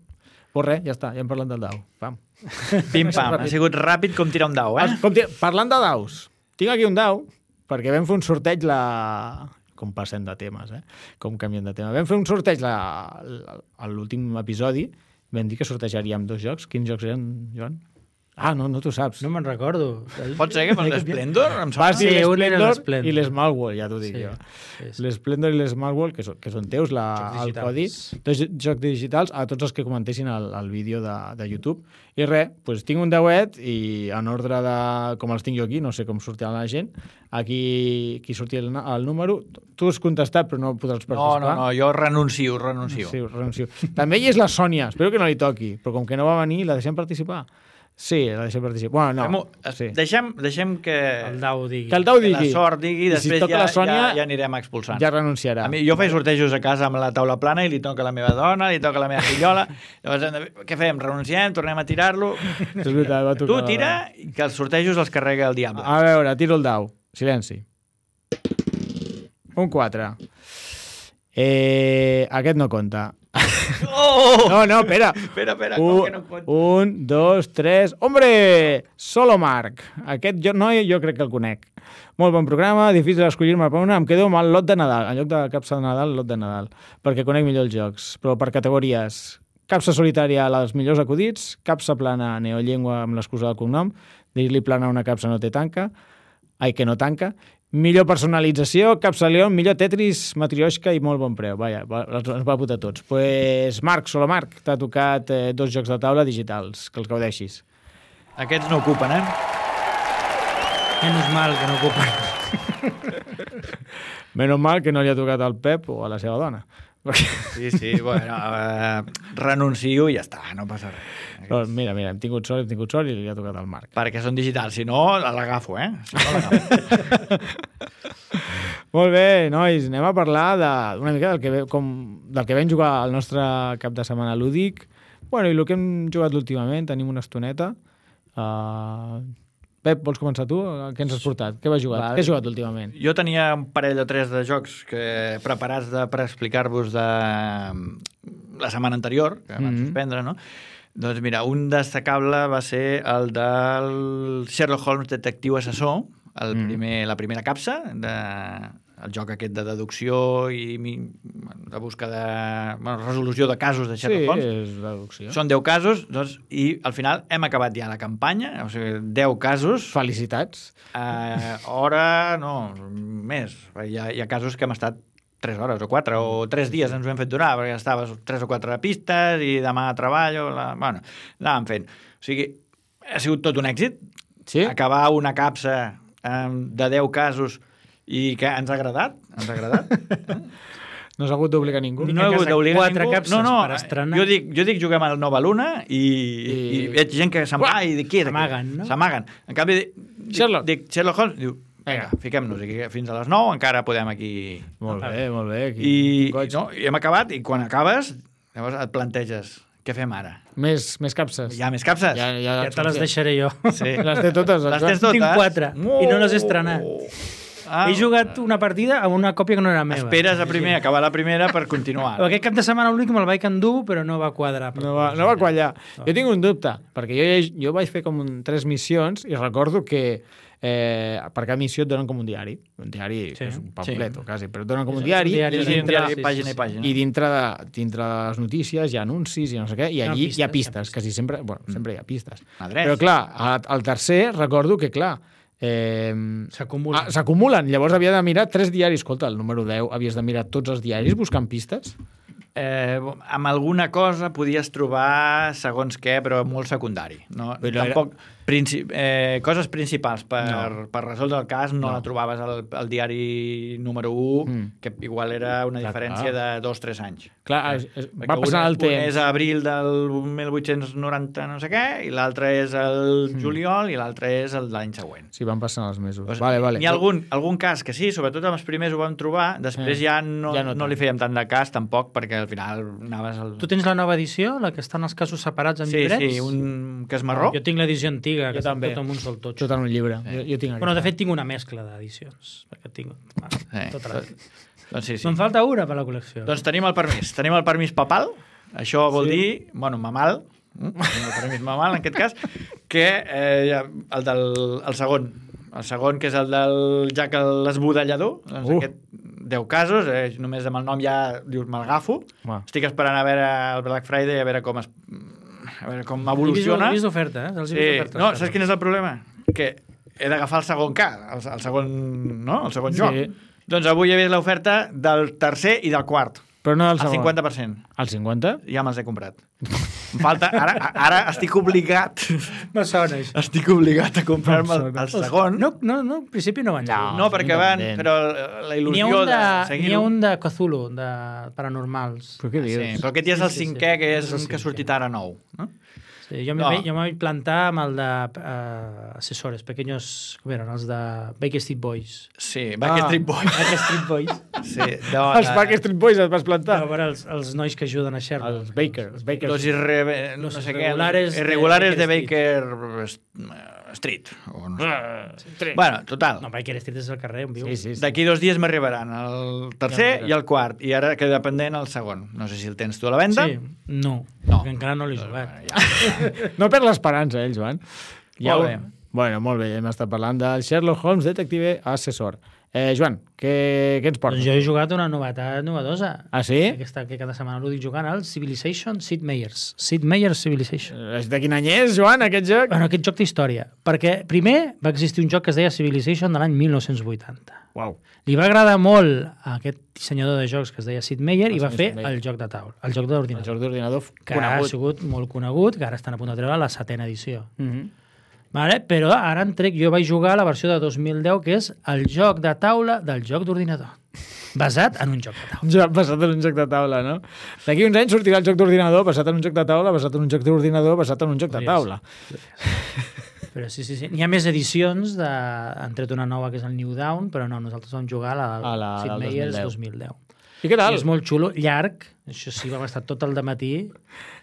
[SPEAKER 1] Pues res, ja està, ja hem parlat del dau. Pam.
[SPEAKER 3] Pim-pam, ha sigut ràpid com tirar un dau, eh?
[SPEAKER 1] Parlant de daus, tinc aquí un dau, perquè vam fer un sorteig com passem de temes, com canviem de tema. Vam fer un sorteig a l'últim episodi, vam dir que sortejaríem 2 jocs. Quins jocs eren, Joan? Ah, no t'ho saps.
[SPEAKER 2] No me'n recordo.
[SPEAKER 3] Pot ser que per l'Splendor?
[SPEAKER 1] Sí, l'Splendor i l'Smallworld, ja t'ho dic jo. L'Splendor i l'Smallworld, que són teus, el codi, 2 jocs digitals, a tots els que comentessin el vídeo de YouTube. I res, doncs tinc un deuet i en ordre de com els tinc jo aquí, no sé com sortirà la gent, aquí sortia el número, tu has contestat però no podràs participar.
[SPEAKER 3] No, jo renuncio.
[SPEAKER 1] Sí, renuncio. També hi és la Sònia, espero que no li toqui, però com que no va venir, la deixem participar? Sí, la deixem participar. Bueno, no. Sí.
[SPEAKER 3] Deixem que
[SPEAKER 2] el dau digui.
[SPEAKER 1] Que el dau digui.
[SPEAKER 3] Que la sort digui, i després
[SPEAKER 1] si la Sònia,
[SPEAKER 3] ja anirem expulsant.
[SPEAKER 1] Ja renunciarà.
[SPEAKER 3] A mi, jo faig sortejos a casa amb la taula plana i li toca a la meva dona, li toca a la meva fillola. Llavors, què fem? Renunciem? Tornem a tirar-lo?
[SPEAKER 1] És veritat, va tocar.
[SPEAKER 3] Tu tira i que els sortejos els carrega el diable.
[SPEAKER 1] A veure, tiro el dau. Silenci. Un 4. Aquest no compta.
[SPEAKER 3] Oh!
[SPEAKER 1] No, espera.
[SPEAKER 3] Espera, com que no compta?
[SPEAKER 1] 1, 2, 3... Hombre! Solo Marc. Aquest noi jo crec que el conec. Molt bon programa, difícil escollir-me per una. Em quedo amb el lot de Nadal. En lloc de capsa de Nadal, lot de Nadal. Perquè conec millor els jocs. Però per categories. Capsa solitària a les millors acudits, capsa plana neollengua amb l'excusa del cognom, dir-li plana a una capsa no té tanca, que no tanca, millor personalització, capsa León, millor Tetris, Matrioshka i molt bon preu. Vaja, ens va putar tots. Pues Marc, solo Marc, t'ha tocat 2 jocs de taula digitals, que els gaudeixis.
[SPEAKER 3] Aquests no ocupen,
[SPEAKER 2] Menos mal que no ocupen.
[SPEAKER 1] Menos mal que no li ha tocat al Pep o a la seva dona.
[SPEAKER 3] Sí, bueno, renuncio i ja està, no passa res.
[SPEAKER 1] Però mira, hem tingut sort i li ha tocat al Marc.
[SPEAKER 3] Perquè són digitals, si no, l'agafo, Si no, l'agafo.
[SPEAKER 1] Molt bé, nois, anem a parlar una mica del que vam jugar al nostre cap de setmana lúdic. Bueno, i el que hem jugat últimament, tenim una estoneta. Pep, vols començar tu? Què ens has portat? Què has jugat? Què has jugat últimament?
[SPEAKER 3] Jo tenia un parell o 3 de jocs preparats per explicar-vos de la setmana anterior, que van suspendre, no? Doncs mira, un destacable va ser el del Sherlock Holmes Detectiu Assessor, la primera capsa, el joc aquest de deducció i de resolució de casos de Sherlock Holmes.
[SPEAKER 1] Sí, és deducció.
[SPEAKER 3] Són 10 casos, doncs, i al final hem acabat ja la campanya, o sigui, 10 casos.
[SPEAKER 1] Felicitats.
[SPEAKER 3] Hora, no, més. Hi ha casos que hem estat 3 hores o 4 o 3 dies ens ho hem fet durar, perquè estaves 3 o 4 pistes i demà treballo, bueno, anàvem fent. O sigui, ha sigut tot un èxit.
[SPEAKER 1] Sí?
[SPEAKER 3] Acabar una capsa de 10 casos i que ens ha agradat.
[SPEAKER 1] No s'ha hagut d'obligar ningú.
[SPEAKER 3] No he hagut d'obligar
[SPEAKER 2] Quatre
[SPEAKER 3] ningú.
[SPEAKER 2] capses per estrenar.
[SPEAKER 3] Jo dic juguem al Nova Luna i veig gent que se'n va i dic, qui és?
[SPEAKER 2] S'amaguen, no?
[SPEAKER 3] S'amaguen. En canvi, dic Sherlock Holmes, diu, vinga, fiquem-nos aquí fins a les 9, encara podem aquí...
[SPEAKER 1] Molt bé.
[SPEAKER 3] I hem acabat, i quan acabes, llavors et planteges, què fem ara?
[SPEAKER 1] Més capses.
[SPEAKER 3] Hi ha més capses?
[SPEAKER 2] Ja te les deixaré jo.
[SPEAKER 3] Sí.
[SPEAKER 1] Les té totes.
[SPEAKER 3] Les tens totes?
[SPEAKER 2] Tinc 4 i no les he estrenat. He jugat una partida amb una còpia que no era meva.
[SPEAKER 3] Esperes acabar la primera per continuar.
[SPEAKER 2] Aquest cap de setmana l'únic me'l vaig endur, però no va quadrar.
[SPEAKER 1] No va quallar. Jo tinc un dubte, perquè jo vaig fer com 3 missions i recordo que per cada missió et donen com un diari. Un diari, és un pamflet, quasi, però et donen com un diari.
[SPEAKER 3] Pàgina i pàgina.
[SPEAKER 1] I dintre de les notícies hi ha anuncis i no sé què, i allí hi ha pistes. Quasi sempre hi ha pistes. Però clar, al tercer recordo que, clar, s'acumulen. Llavors havia de mirar 3 diaris. Escolta, el número 10 havies de mirar tots els diaris buscant pistes?
[SPEAKER 3] Amb alguna cosa podies trobar segons què, però molt secundari. No? Tampoc coses principals per resoldre el cas no la trobaves al diari número 1, que igual era una diferència de 2-3 anys.
[SPEAKER 1] Clar, va passar el temps.
[SPEAKER 3] Un és a abril del 1890 no sé què, i l'altre és el juliol, i l'altre és el de l'any següent.
[SPEAKER 1] Sí, van passant els mesos. Vale.
[SPEAKER 3] N'hi ha algun cas que sí, sobretot amb els primers ho vam trobar, després ja no li fèiem tant de cas tampoc, perquè al final anaves...
[SPEAKER 2] Tu tens la nova edició, la que estan els casos separats en llibrets?
[SPEAKER 3] Sí, un que és marró.
[SPEAKER 2] Jo tinc l'edició antiga, que
[SPEAKER 1] també.
[SPEAKER 2] tot amb un sol totxo.
[SPEAKER 1] Tot en un llibre. Jo tinc
[SPEAKER 2] bueno, de fet, tinc una mescla d'edicions, perquè tinc tota la...
[SPEAKER 3] Doncs sí.
[SPEAKER 2] Me'n falta una per la col·lecció.
[SPEAKER 3] Doncs tenim el permís. Tenim el permís papal. Això vol dir, mamal, el permís mamal, en aquest cas, que el segon, que és el del Jack l'Esbudellador, doncs aquest 10 casos, només amb el nom ja dius, me'l agafo. Estic esperant a veure el Black Friday, a veure com evoluciona.
[SPEAKER 2] He vist d'oferta,
[SPEAKER 3] Sí. No, saps quin és el problema? Que he d'agafar el segon el segon joc. Doncs avui he vist l'oferta del tercer i del quart.
[SPEAKER 1] Però no del segon.
[SPEAKER 3] Al 50%.
[SPEAKER 1] Al 50%?
[SPEAKER 3] Ja me'ls he comprat. Em falta... Ara estic obligat...
[SPEAKER 2] No sona, això.
[SPEAKER 3] Estic obligat a comprar-me el segon.
[SPEAKER 2] No, en principi no van.
[SPEAKER 3] No, perquè van... Però la il·lusió de seguir-ho...
[SPEAKER 2] N'hi ha un de Cthulhu, de paranormals.
[SPEAKER 1] Però què dius?
[SPEAKER 3] Sí, però aquest ja és el cinquè, que és un que ha sortit ara nou. No?
[SPEAKER 2] Sí, jo me vaig plantar amb el de assessores, pequeños, com eren, els de Backstreet Boys.
[SPEAKER 3] Sí, Backstreet Boys.
[SPEAKER 2] Backstreet Boys.
[SPEAKER 3] Sí,
[SPEAKER 1] els Backstreet Boys et vas plantar?
[SPEAKER 2] No, però els nois que ajuden a Sherlock.
[SPEAKER 1] Els Baker.
[SPEAKER 3] Los irregulares de Baker Street. Bueno, total.
[SPEAKER 2] No, Baker Street és el carrer on viu.
[SPEAKER 1] Sí.
[SPEAKER 3] D'aquí 2 dies m'arribaran el tercer i el quart. I ara queda pendent el segon. No sé si el tens tu a la venda.
[SPEAKER 2] Sí, no. Perquè encara no l'he jugat.
[SPEAKER 1] No perd l'esperança, Joan.
[SPEAKER 3] Molt bé.
[SPEAKER 1] Bueno, molt bé. Hem estat parlant del Sherlock Holmes Detective Assessor. Joan, què ens portes?
[SPEAKER 2] Doncs jo he jugat una novetat novedosa.
[SPEAKER 1] Ah, sí?
[SPEAKER 2] Que cada setmana l'ho dic jugant, el Civilization Sid Meier's. Sid Meier's Civilization.
[SPEAKER 1] De quin any és, Joan, aquest joc?
[SPEAKER 2] Bueno, aquest joc té història. Perquè primer va existir un joc que es deia Civilization de l'any 1980.
[SPEAKER 1] Uau.
[SPEAKER 2] Li va agradar molt a aquest dissenyador de jocs que es deia Sid Meier i va fer el joc de taula, el joc d'ordinador.
[SPEAKER 1] El joc d'ordinador
[SPEAKER 2] que ha sigut molt conegut, que ara estan a punt de treure la 7ª edició. Vale? Però ara jo vaig jugar la versió de 2010, que és el joc de taula del joc d'ordinador. Basat en un joc de taula.
[SPEAKER 1] Basat en un joc de taula, no? D'aquí uns anys sortirà el joc d'ordinador basat en un joc de taula, basat en un joc d'ordinador, basat en un joc de taula.
[SPEAKER 2] Però sí. N'hi ha més edicions, han tret una nova que és el New Dawn, però no, nosaltres vam jugar a la Sid Meier's 2010.
[SPEAKER 1] I què tal?
[SPEAKER 2] I és molt xulo, llarg, això sí, vam estar tot el dematí.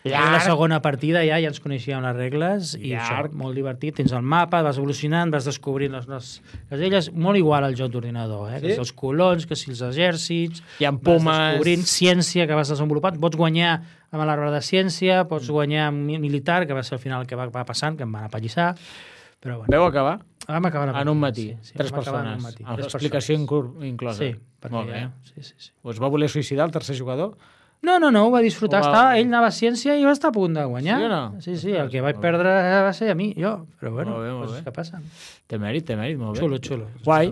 [SPEAKER 2] La segona partida ja ens coneixíem les regles i això, molt divertit. Tens el mapa, vas evolucionant, vas descobrint les illes, molt igual al joc d'ordinador, que si els colons, que si els exèrcits,
[SPEAKER 1] hi ha pomes,
[SPEAKER 2] vas descobrint ciència que vas desenvolupant, pots guanyar amb l'arbre de ciència, pots guanyar amb militar, que va ser al final el que va passant, que em van apallissar. Però bueno.
[SPEAKER 1] Veu acabar?
[SPEAKER 2] Vam acabar
[SPEAKER 1] en un matí. 3 persones. Amb l'explicació inclosa.
[SPEAKER 2] Sí.
[SPEAKER 1] Molt bé.
[SPEAKER 2] Sí.
[SPEAKER 1] Us va voler suïcidar el tercer jugador?
[SPEAKER 2] No, ho va disfrutar. Ell anava a ciència i va estar a punt de guanyar.
[SPEAKER 1] Sí o no?
[SPEAKER 2] Sí, el que vaig perdre va ser a mi, jo. Però bueno, coses que passen.
[SPEAKER 1] Té mèrit, molt bé.
[SPEAKER 2] Xulo.
[SPEAKER 1] Guai.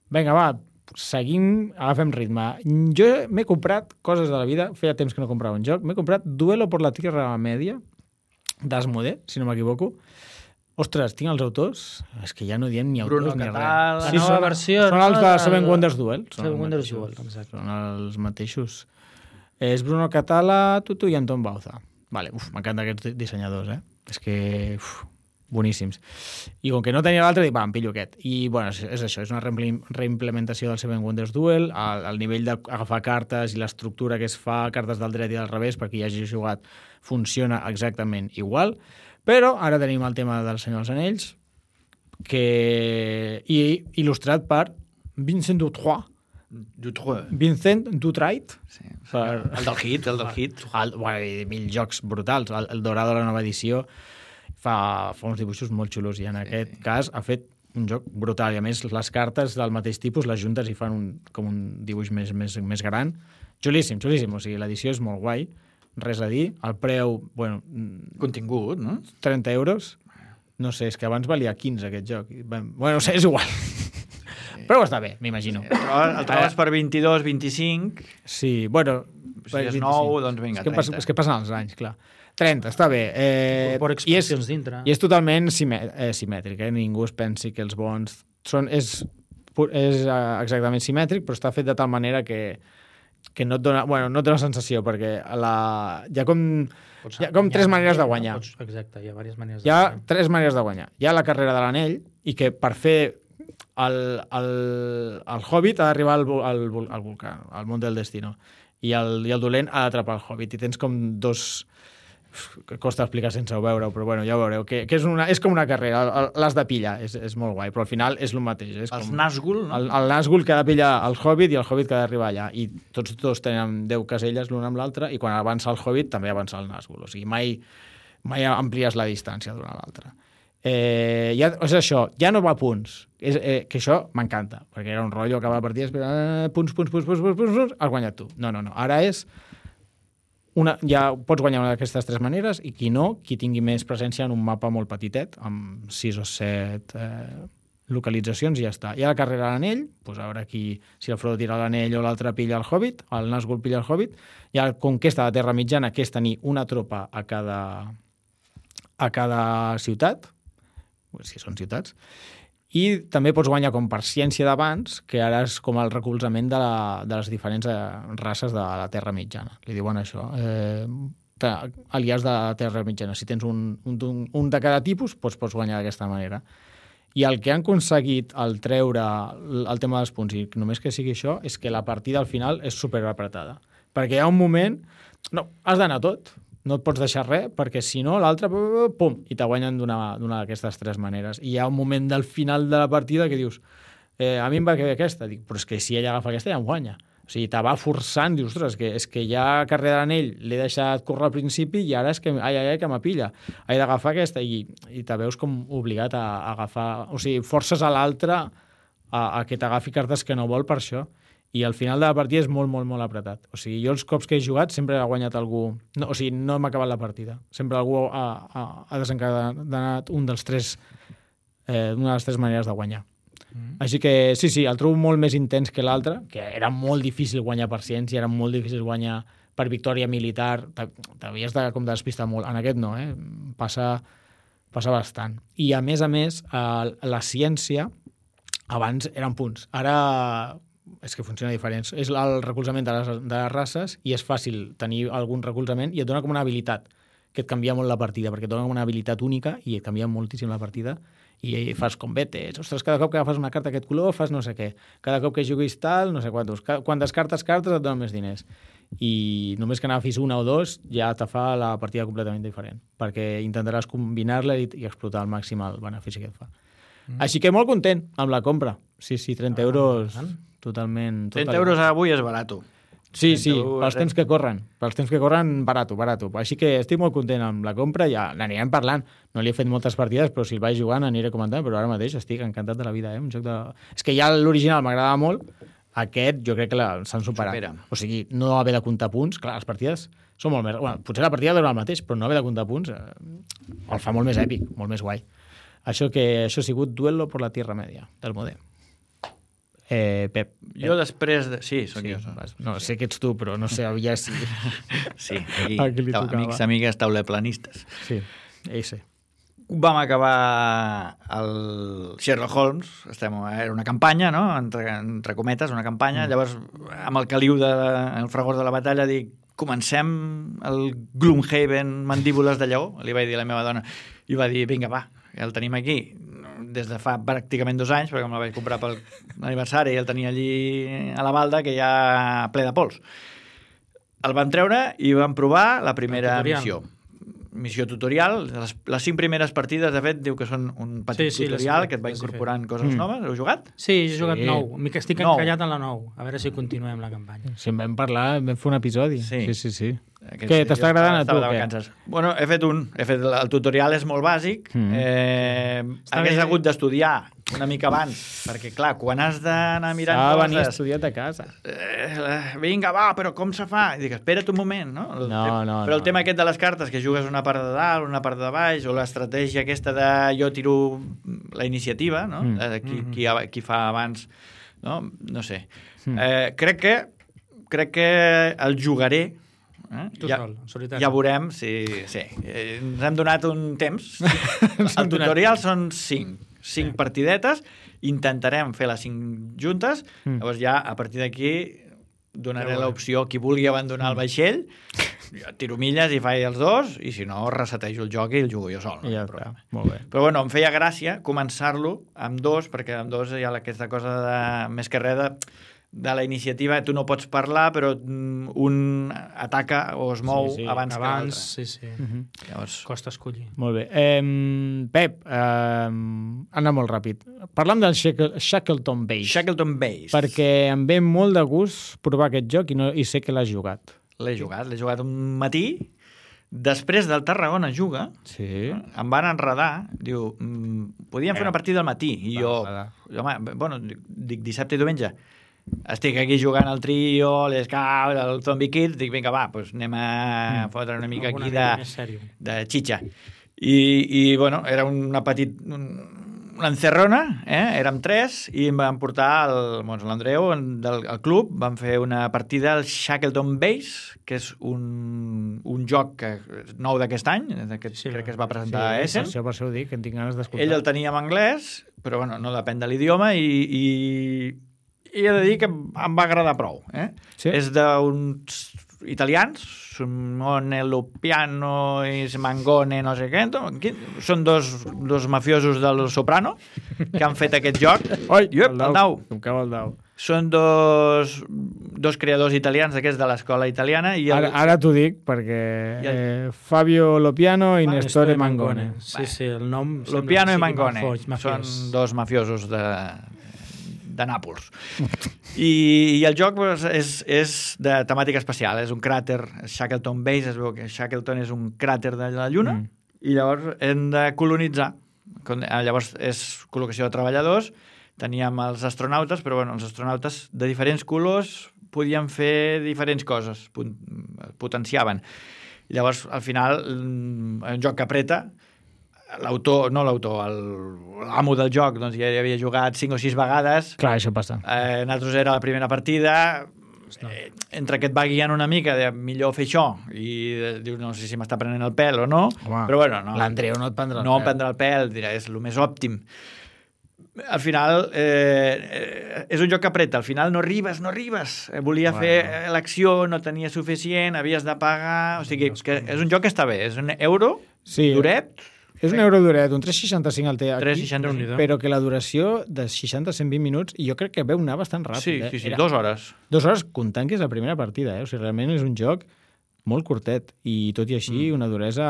[SPEAKER 1] Vinga, va, seguim, agafem ritme. Jo m'he comprat coses de la vida, feia temps que no comprava un joc, m'he comprat Duelo por la Tierra Media, d'Asmodee, si no m'equivoco. Ostres, tinc els autors? És que ja no diem ni autors
[SPEAKER 3] Bruno
[SPEAKER 1] ni
[SPEAKER 3] Cattal.
[SPEAKER 1] res.
[SPEAKER 2] La nova versió,
[SPEAKER 1] són els
[SPEAKER 2] no?
[SPEAKER 1] de Seven Wonders Duel.
[SPEAKER 2] Seven Wonders Duel, exacte.
[SPEAKER 1] Són els mateixos. És Bruno Catala, Tutu i Anton Bauza. Vale, m'encanten aquests dissenyadors, És que... boníssims. I com que no tenia l'altre, dic, em pillo aquest. I, bueno, és això, és una reimplementació del Seven Wonders Duel, el nivell d'agafar cartes i l'estructura que es fa, cartes del dret i del revés, perquè hi hagi jugat, funciona exactament igual, però ara tenim el tema del Senyor dels Anells, que il·lustrat per Vincent Dutroux. Vincent Dutrait.
[SPEAKER 3] Sí. El del hit.
[SPEAKER 1] Mil jocs brutals. El Dorado de la nova edició fa uns dibuixos molt xulos i en aquest cas ha fet un joc brutal i a més les cartes del mateix tipus les juntes i fan com un dibuix més gran. Xulíssim. O sigui, l'edició és molt guai. Res a dir. El preu,
[SPEAKER 3] contingut, no?
[SPEAKER 1] 30 euros. No sé, és que abans valia 15 aquest joc. Bueno, no sé, és igual. Però està bé, m'imagino.
[SPEAKER 3] Sí, el trobes per 22, 25...
[SPEAKER 1] Sí, bueno...
[SPEAKER 3] Si és nou, doncs vinga, 30.
[SPEAKER 1] És que passen els anys, clar. 30, està bé.
[SPEAKER 2] Per expansions dintre.
[SPEAKER 1] I és totalment simètric, Ningú es pensi que els bons... És exactament simètric, però està fet de tal manera que no et dona... Bueno, no et dona sensació, perquè hi ha com tres maneres de guanyar.
[SPEAKER 2] Exacte, hi ha diverses maneres.
[SPEAKER 1] Hi ha tres maneres de guanyar. Hi ha la carrera de l'anell, i que per fer el Hobbit ha d'arribar al volcà, al Mont del Destino. I el dolent ha d'atrapar el Hobbit. I tens com dos... que costa explicar sense veure-ho, però bueno, ja ho veureu. Que és com una carrera, l'has de pillar, és molt guai, però al final és el mateix.
[SPEAKER 3] Els Nazgûl, no?
[SPEAKER 1] El Nazgûl que ha de pillar el Hobbit i el Hobbit que ha d'arribar allà. I tots dos tenen 10 caselles l'un amb l'altre i quan avança el Hobbit també avança el Nazgûl. O sigui, mai amplies la distància d'una a l'altra. És això, ja no va a punts, que això m'encanta, perquè era un rotllo acabar la partida, punts, has guanyat tu. No, ara és ja pots guanyar una d'aquestes tres maneres i qui tingui més presència en un mapa molt petitet, amb 6 o 7 localitzacions i ja està. Hi ha la carrera a l'anell, doncs a veure si el Frodo tira l'anell o l'altre pilla el Hobbit, el Nazgûl pilla el Hobbit. Hi ha la conquesta de Terra Mitjana, que és tenir una tropa a cada ciutat, si són ciutats, i també pots guanyar com per ciència d'abans, que ara és com el recolzament de les diferents races de la Terra Mitjana. Li diuen això. Aliats de la Terra Mitjana. Si tens un de cada tipus, pots guanyar d'aquesta manera. I el que han aconseguit al treure el tema dels punts, i només que sigui això, és que la partida al final és superapretada. Perquè hi ha un moment... No, has d'anar tot. No et pots deixar res, perquè si no, l'altre, pum, i te guanyen d'una d'aquestes tres maneres. I hi ha un moment del final de la partida que dius, a mi em va quedar aquesta. Dic, però és que si ella agafa aquesta ja em guanya. O sigui, te va forçant, dius, ostres, és que ja carrera de l'anell l'he deixat córrer al principi i ara és que m'apilla. He d'agafar aquesta i te veus com obligat a agafar... O sigui, forces a l'altre a que t'agafi cartes que no vol per això. I al final de la partida és molt, molt, molt apretat. O sigui, jo els cops que he jugat sempre ha guanyat algú... No, o sigui, no hem acabat la partida. Sempre algú ha desencadenat una de les tres maneres de guanyar. Així que sí, el trobo molt més intens que l'altre, que era molt difícil guanyar per ciència, era molt difícil guanyar per victòria militar, t'havies de despistar molt. En aquest no, passa bastant. I a més, la ciència abans eren punts. Ara... és que funciona diferent. És el recolzament de les races i és fàcil tenir algun recolzament i et dona com una habilitat que et canvia molt la partida, perquè et dona com una habilitat única i et canvia moltíssim la partida i fas combetes. Ostres, cada cop que agafes una carta d'aquest color fas no sé què. Cada cop que juguis tal, no sé quantos. Quan descartes cartes et donen més diners. I només que n'agafis una o dos ja te fa la partida completament diferent, perquè intentaràs combinar-la i explotar al màxim el benefici que et fa. Així que molt content amb la compra. Sí, 30 euros... Totalment.
[SPEAKER 3] 30 euros avui és barat.
[SPEAKER 1] Sí, pels temps que corren. Pels temps que corren, barat. Així que estic molt content amb la compra, ja n'anirem parlant. No li he fet moltes partides, però si el vaig jugant aniré comentant, però ara mateix estic encantat de la vida. Un joc de... És que ja l'original m'agradava molt, aquest jo crec que s'han superat. O sigui, no haver de comptar punts, clar, les partides són molt més... Bueno, potser la partida dura el mateix, però no haver de comptar punts el fa molt més èpic, molt més guai. Això ha sigut Duelo por la Tierra Media, del Modé. Pep.
[SPEAKER 3] Jo després de... Sí, sóc jo.
[SPEAKER 1] No, sé que ets tu, però no sé, ja sí.
[SPEAKER 3] Sí, aquí, amics, amigues, tauleplanistes.
[SPEAKER 1] Sí, ese.
[SPEAKER 3] vam acabar el Sherlock Holmes, era una campanya, no? Entre cometes, una campanya. Llavors, amb el caliu el fragor de la batalla, dic, comencem el Gloomhaven Mandíbules de Lleó, li vaig dir a la meva dona, i va dir, vinga, va, ja el tenim aquí, des de fa pràcticament 2 anys, perquè me la vaig comprar pel aniversari i el tenia allí a la balda, que ja ple de pols. El vam treure i vam provar la primera missió tutorial. Les 5 primeres partides, de fet, diu que són un petit tutorial que et va incorporant coses noves. Heu jugat?
[SPEAKER 2] Sí, he jugat 9. Estic encallat en la 9. A veure si continuem la campanya.
[SPEAKER 1] Si en vam parlar, vam fer un episodi. Sí. Què,
[SPEAKER 3] Aquests
[SPEAKER 1] t'està agradant a tu?
[SPEAKER 3] Bueno, he fet el tutorial és molt bàsic. Hagués hagut d'estudiar una mica abans, perquè, clar, quan has d'anar mirant coses...
[SPEAKER 1] venir estudiat a casa.
[SPEAKER 3] Vinga, va, però com se fa? I dic, espera't un moment, no? Però el tema aquest de les cartes, que jugues una part de dalt, una part de baix, o l'estratègia aquesta de jo tiro la iniciativa, no? Qui fa abans, no? No sé. Crec que el jugaré. Ja veurem si... Ens hem donat un temps. El tutorial són 5 partidetes. Intentarem fer les 5 juntes. Llavors ja, a partir d'aquí, donaré l'opció qui vulgui abandonar el vaixell. Jo tiro milles i faig els 2, i si no, resetejo el joc i el jugo jo sol.
[SPEAKER 1] Ja està, molt bé.
[SPEAKER 3] Però bueno, em feia gràcia començar-lo amb 2, perquè amb 2 hi ha aquesta cosa de, més que res de la iniciativa, tu no pots parlar, però un ataca o es mou abans que l'altre.
[SPEAKER 2] Sí.
[SPEAKER 3] Llavors...
[SPEAKER 2] Costa escollir.
[SPEAKER 1] Molt bé. Pep, anar molt ràpid. Parlam del Shackleton Base.
[SPEAKER 3] Shackleton Base.
[SPEAKER 1] Perquè em ve molt de gust provar aquest joc i sé que l'has jugat.
[SPEAKER 3] L'he jugat un matí. Després del Tarragona Juga, em van enredar, diu, podíem fer una partida al matí, i jo, dic dissabte i diumenge, estic aquí jugant al Trio, l'Scout, el Zombie Kids, dic, vinga, va, doncs anem a fotre una mica aquí de xitxa. I bueno, era una una encerrona, érem 3, i em van portar l'Andreu del club, vam fer una partida al Shackleton Base, que és un joc nou d'aquest any, crec que es va presentar a Essen.
[SPEAKER 1] Per això ho dic, que en tinc ganes d'escoltar.
[SPEAKER 3] Ell el tenia en anglès, però bueno, no depèn de l'idioma, i he de dir que em va agradar prou. És d'uns italians, Simone Lupiano i Mangone, no sé què. Són dos mafiosos del Soprano que han fet aquest joc.
[SPEAKER 1] El dau. Com cau el dau.
[SPEAKER 3] Són dos creadors italians d'aquests de l'escola italiana.
[SPEAKER 1] Ara t'ho dic, perquè Fabio Lupiano i Nestore Mangone.
[SPEAKER 2] Sí, el nom...
[SPEAKER 3] Lupiano i Mangone són dos mafiosos de Nàpols. I el joc és de temàtica espacial, és un cràter, Shackleton Base, es veu que Shackleton és un cràter de la Lluna, i llavors hem de colonitzar. Llavors és col·locació de treballadors, teníem els astronautes, però bueno, els astronautes de diferents colors podien fer diferents coses, potenciaven. I llavors, al final, un joc que apreta, l'amo del joc doncs ja havia jugat 5 o 6 vegades.
[SPEAKER 1] Clar, això passa.
[SPEAKER 3] Nosaltres era la primera partida, entre que et va guiant una mica de millor fer això i dius, no sé si m'està prenent el pèl o no.
[SPEAKER 1] Home,
[SPEAKER 3] però bueno, no.
[SPEAKER 1] L'Andreu no et prendrà el pèl.
[SPEAKER 3] No em prendrà el pèl, dirà, és el més òptim. Al final és un joc que apreta, al final no arribes. Volia fer l'acció, no tenia suficient, havies de pagar, o sigui, que és un joc que està bé, és un euro, duret.
[SPEAKER 1] És un euro duret, un 3,65 el té aquí,
[SPEAKER 3] 3,65.
[SPEAKER 1] Però que la duració de 60 a 120 minuts, i jo crec que veu anar bastant ràpid.
[SPEAKER 3] Sí, 2 hores.
[SPEAKER 1] 2 hores comptant que és la primera partida, O sigui, realment és un joc molt curtet, i tot i així una duresa...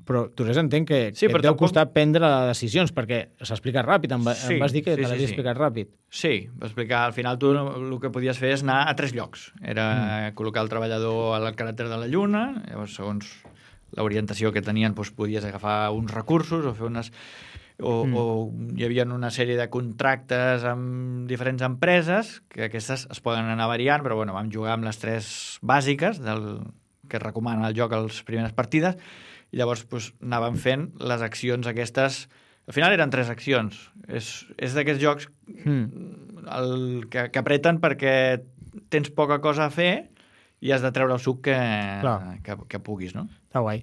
[SPEAKER 1] Però duresa entenc que et deu costar prendre decisions, perquè s'explica ràpid, em vas dir que te l'havies explicat ràpid.
[SPEAKER 3] Sí, va explicar. Al final tu el que podies fer és anar a 3 llocs. Era col·locar el treballador al caràcter de la Lluna, llavors segons l'orientació que tenien podies agafar uns recursos o fer unes... O hi havia una sèrie de contractes amb diferents empreses, que aquestes es poden anar variant, però bueno, vam jugar amb les 3 bàsiques que es recomana el joc a les primeres partides, i llavors anàvem fent les accions aquestes. Al final eren 3 accions. És d'aquests jocs que apreten perquè tens poca cosa a fer i has de treure el suc que puguis, no?
[SPEAKER 1] Està guai.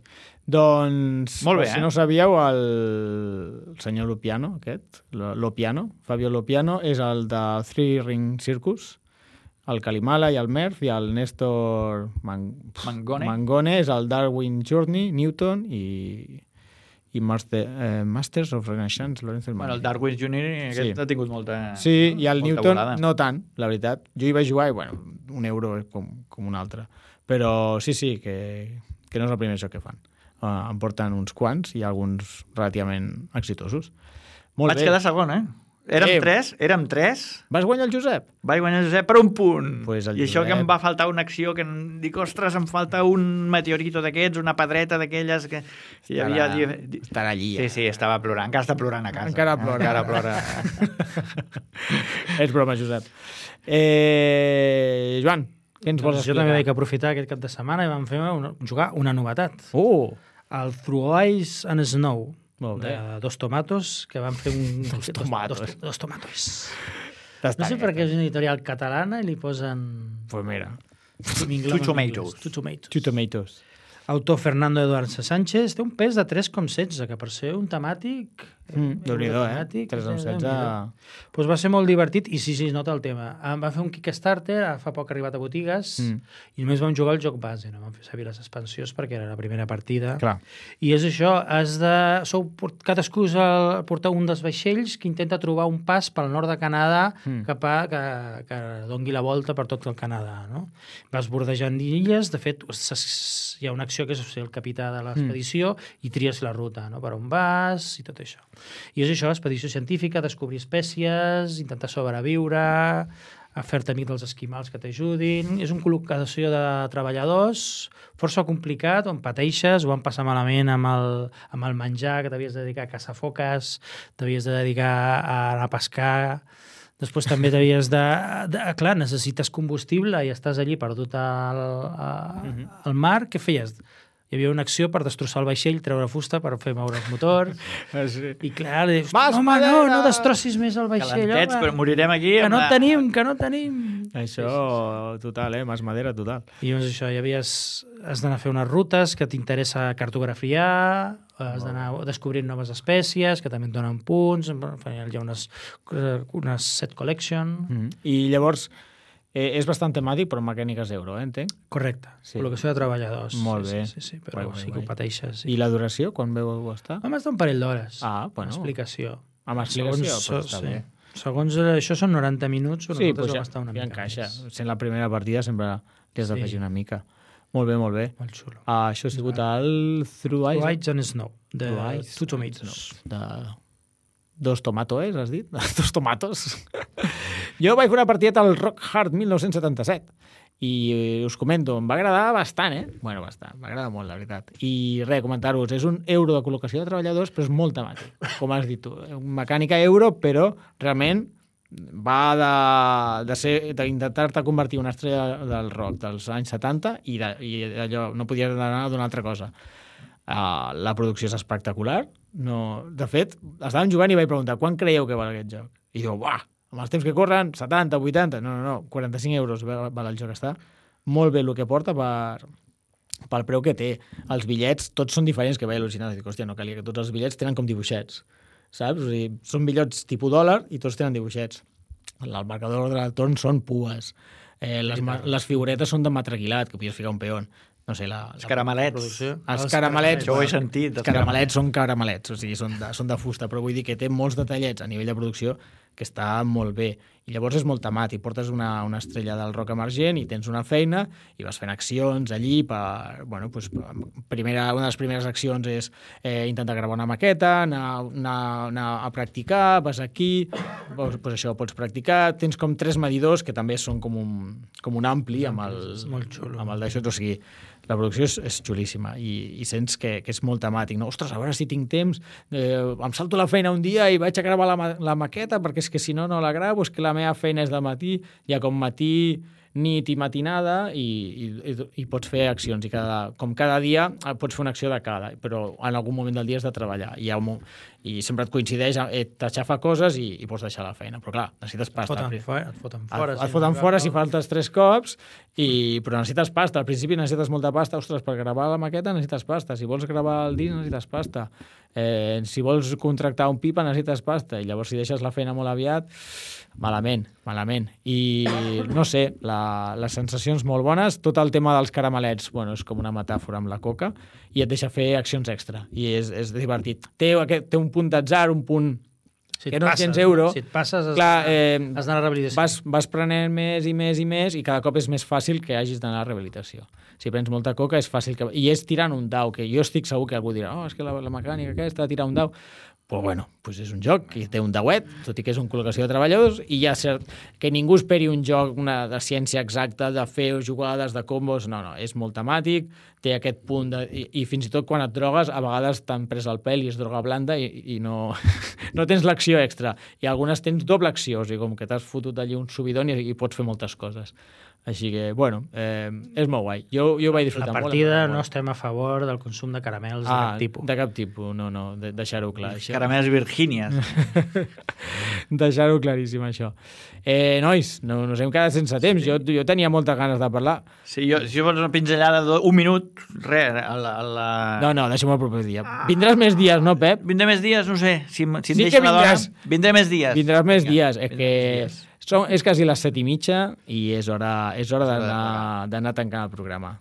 [SPEAKER 1] Doncs,
[SPEAKER 3] molt bé,
[SPEAKER 1] si no ho sabíeu, el senyor Lopiano, Fabio Lopiano, és el de Three Ring Circus, el Kalimala i el Merth, i el Néstor Mangone és el Darwin Journey, Newton i Masters of Renaissance, Lorenzo
[SPEAKER 3] Bueno, el Darwin Jr. ha tingut molta
[SPEAKER 1] Sí, i el Newton
[SPEAKER 3] volada.
[SPEAKER 1] no tant, la veritat. Jo hi vaig jugar i, bueno, €1 com un altre. Però sí, que no és el primer joc que fan. Em porten uns quants i alguns relativament exitosos. Molt
[SPEAKER 3] Vaig
[SPEAKER 1] bé.
[SPEAKER 3] quedar segon, Érem tres.
[SPEAKER 1] Vas guanyar el Josep?
[SPEAKER 3] Vaig guanyar el Josep per un punt.
[SPEAKER 1] Pues
[SPEAKER 3] I això que em va faltar una acció que dic, ostres, em falta un meteorito d'aquests, una pedreta d'aquelles que... Sí,
[SPEAKER 1] estarà allí.
[SPEAKER 3] Sí, estava plorant. Encara està plorant a casa.
[SPEAKER 1] Encara plora. És broma, Josep. Joan, què ens vols explicar?
[SPEAKER 2] Jo també vaig aprofitar aquest cap de setmana i vam jugar una novetat. El Through Ice and Snow, de Dos Tomatos, que van fer un... Dos Tomatos. No sé per què és una editorial catalana i li posen...
[SPEAKER 1] Pues mira.
[SPEAKER 3] Two
[SPEAKER 2] Tomatoes. Autor Fernando Eduardo Sánchez, té un pes de 3,16, que per ser un temàtic...
[SPEAKER 1] Déu-n'hi-do, 3,16...
[SPEAKER 2] Doncs va ser molt divertit i sí, es nota el tema. Va fer un Kickstarter, fa poc ha arribat a botigues, i només vam jugar el joc base, no vam fer servir les expansions perquè era la primera partida.
[SPEAKER 1] Clar.
[SPEAKER 2] I és això, cadascú porta un dels vaixells que intenta trobar un pas pel nord de Canadà que dongui la volta per tot el Canadà, no? Vas bordejant illes, de fet, hi ha una acció que és ser el capità de l'expedició i tries la ruta, no? Per on vas i tot això. I és això, expedició científica, descobrir espècies, intentar sobreviure, fer-te amic dels esquimals que t'ajudin. És una col·locació de treballadors força complicat, on pateixes, ho van passar malament amb el menjar, que t'havies de dedicar a caçar foques, t'havies de dedicar a anar a pescar. Després també t'havies de... Clar, necessites combustible i estàs allí perdut al mar. Què feies? Hi havia una acció per destrossar el vaixell, treure fusta per fer moure el motor. I clar, dius, home, no destrossis més el vaixell.
[SPEAKER 3] Calentets, però morirem aquí.
[SPEAKER 2] Que no tenim.
[SPEAKER 1] Això, total, mas madera, total.
[SPEAKER 2] I doncs això, has d'anar a fer unes rutes que t'interessa cartografiar, has d'anar descobrint noves espècies, que també et donen punts, hi ha unes set collection.
[SPEAKER 1] I llavors... és bastant temàtic, però mecàniques euro, entenc?
[SPEAKER 2] Correcte. Col·locació de treballadors.
[SPEAKER 1] Molt bé.
[SPEAKER 2] Sí, però sí que ho pateixes.
[SPEAKER 1] I la duració, quan veu estar?
[SPEAKER 2] Vam estar un parell d'hores.
[SPEAKER 1] Bueno.
[SPEAKER 2] Explicació.
[SPEAKER 1] Amb explicació, però està bé.
[SPEAKER 2] Segons això són 90 minuts, però nosaltres vam estar una mica
[SPEAKER 1] encaixa. Sent la primera partida sempre li has d'afegir una mica. Molt bé, molt bé.
[SPEAKER 2] Molt xulo.
[SPEAKER 1] Això ha sigut el Through
[SPEAKER 2] Ice and Snow, de Two Tomatoes.
[SPEAKER 1] De Dos Tomatos, has dit? Dos Tomatos. Jo vaig fer una partida al Rock Hard 1977 i us comento, em va agradar bastant, Bueno, bastant, m'agrada molt, la veritat. I res, comentar-vos, és un euro de col·locació de treballadors, però és molt temàtic, com has dit tu. Mecànica euro, però realment va d'intentar-te convertir una estrella del rock dels anys 70 i allò no podies anar d'una altra cosa. La producció és espectacular. De fet, estàvem jugant i vaig preguntar quan creieu que val aquest joc? I diu, amb els temps que corren, 70, 80... No, 45 euros val el joc. Està molt bé el que porta pel preu que té. Els bitllets tots són diferents, que vaig al·lucinar. Dic, hòstia, no calia que tots els bitllets tenen com dibuixets. Saps? O sigui, són bitllets tipus dòlar i tots tenen dibuixets. El marcador d'ordre del torn són pues. Les figuretes són de matraquilat, que podies ficar un peón. No sé,
[SPEAKER 3] els caramelets.
[SPEAKER 1] Els caramelets.
[SPEAKER 3] Això ho he sentit.
[SPEAKER 1] Els caramelets són caramelets, o sigui, són de fusta, però vull dir que té molts detallets a nivell de producció que està molt bé. I llavors és molt temàtic. Portes una estrella del rock emergent i tens una feina i vas fent accions allí per... Bueno, doncs, una de les primeres accions és intentar gravar una maqueta, anar a practicar, vas aquí, doncs això, pots practicar. Tens com 3 medidors que també són com un ampli amb el d'això. O sigui, la producció és xulíssima i sents que és molt temàtic. No? Ostres, a veure si tinc temps, em salto la feina un dia i vaig a gravar la maqueta perquè és que si no la gravo, és que la meva feina és de matí, ja com matí nit i matinada i pots fer accions. Com cada dia pots fer una acció de cada, però en algun moment del dia has de treballar. I sempre et coincideix, t'aixafa coses i pots deixar la feina. Però clar, necessites pasta.
[SPEAKER 2] Et foten
[SPEAKER 1] fora si faltes 3 cops, però necessites pasta. Al principi necessites molta pasta. Ostres, per gravar la maqueta necessites pasta. Si vols gravar el disc necessites pasta. Si vols contractar un pipa necessites pasta. I llavors si deixes la feina molt aviat, malament. I no sé, les sensacions molt bones. Tot el tema dels caramelets, bueno, és com una metàfora amb la coca, i et deixa fer accions extra. I és divertit. Té un punt d'atzar, un punt que no tens euro.
[SPEAKER 2] Si et passes, has d'anar a rehabilitació.
[SPEAKER 1] Vas prenent més i més i més, i cada cop és més fàcil que hagis d'anar a rehabilitació. Si prens molta coca és fàcil I és tirant un dau, que jo estic segur que algú dirà és que la mecànica aquesta de tirar un dau. Però bueno, és un joc que té un dauet, tot i que és una col·locació de treballadors, i ja cert que ningú esperi un joc de ciència exacta, de fer jugades, de combos, no, és molt temàtic, té aquest punt i fins i tot quan et drogues, a vegades t'han pres el pèl i és droga blanda i no tens l'acció extra. I algunes tens doble acció, o sigui, com que t'has fotut allí un subidon i pots fer moltes coses. Així que, bueno, és molt guai. Jo ho vaig disfrutar molt.
[SPEAKER 2] A partida no estem a favor del consum de caramels de cap tipus.
[SPEAKER 1] De cap tipus, no, deixar-ho clar.
[SPEAKER 3] Caramels virgínies.
[SPEAKER 1] Deixar-ho claríssim, això. Nois, nos hem quedat sense temps. Jo tenia moltes ganes de parlar.
[SPEAKER 3] Sí, si vols una pinzellada d'un minut, res.
[SPEAKER 1] No, deixem-ho el proper dia. Vindràs més dies, no, Pep?
[SPEAKER 3] Vindré més dies, no sé. Si em
[SPEAKER 1] sí
[SPEAKER 3] deixa la dona, vindré més dies.
[SPEAKER 1] Vindràs més dies. És quasi les 7:30 i és hora d'anar tancant el programa.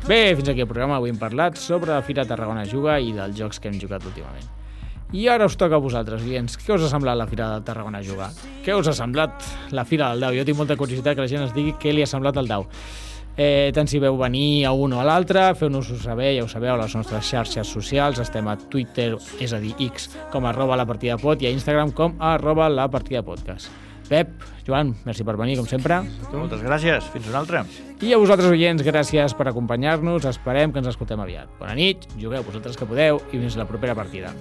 [SPEAKER 1] Bé, fins aquí el programa. Avui hem parlat sobre la Fira Tarragona Juga i dels jocs que hem jugat últimament. I ara us toca a vosaltres, oients. Què us ha semblat la Fira de Tarragona Juga? Què us ha semblat la Fira del Dau? Jo tinc molta curiositat que la gent ens digui què li ha semblat el Dau. Tant si veu venir a un o a l'altre, feu-nos-ho saber, ja ho sabeu, a les nostres xarxes socials. Estem a Twitter, és a dir, X, com @lapartidapod, i a Instagram com @lapartidapodcast. Pep, Joan, merci per venir, com sempre.
[SPEAKER 3] Moltes gràcies, fins una altra.
[SPEAKER 1] I a vosaltres, oients, gràcies per acompanyar-nos. Esperem que ens escoltem aviat. Bona nit, jugueu vosaltres que podeu i fins la propera partida.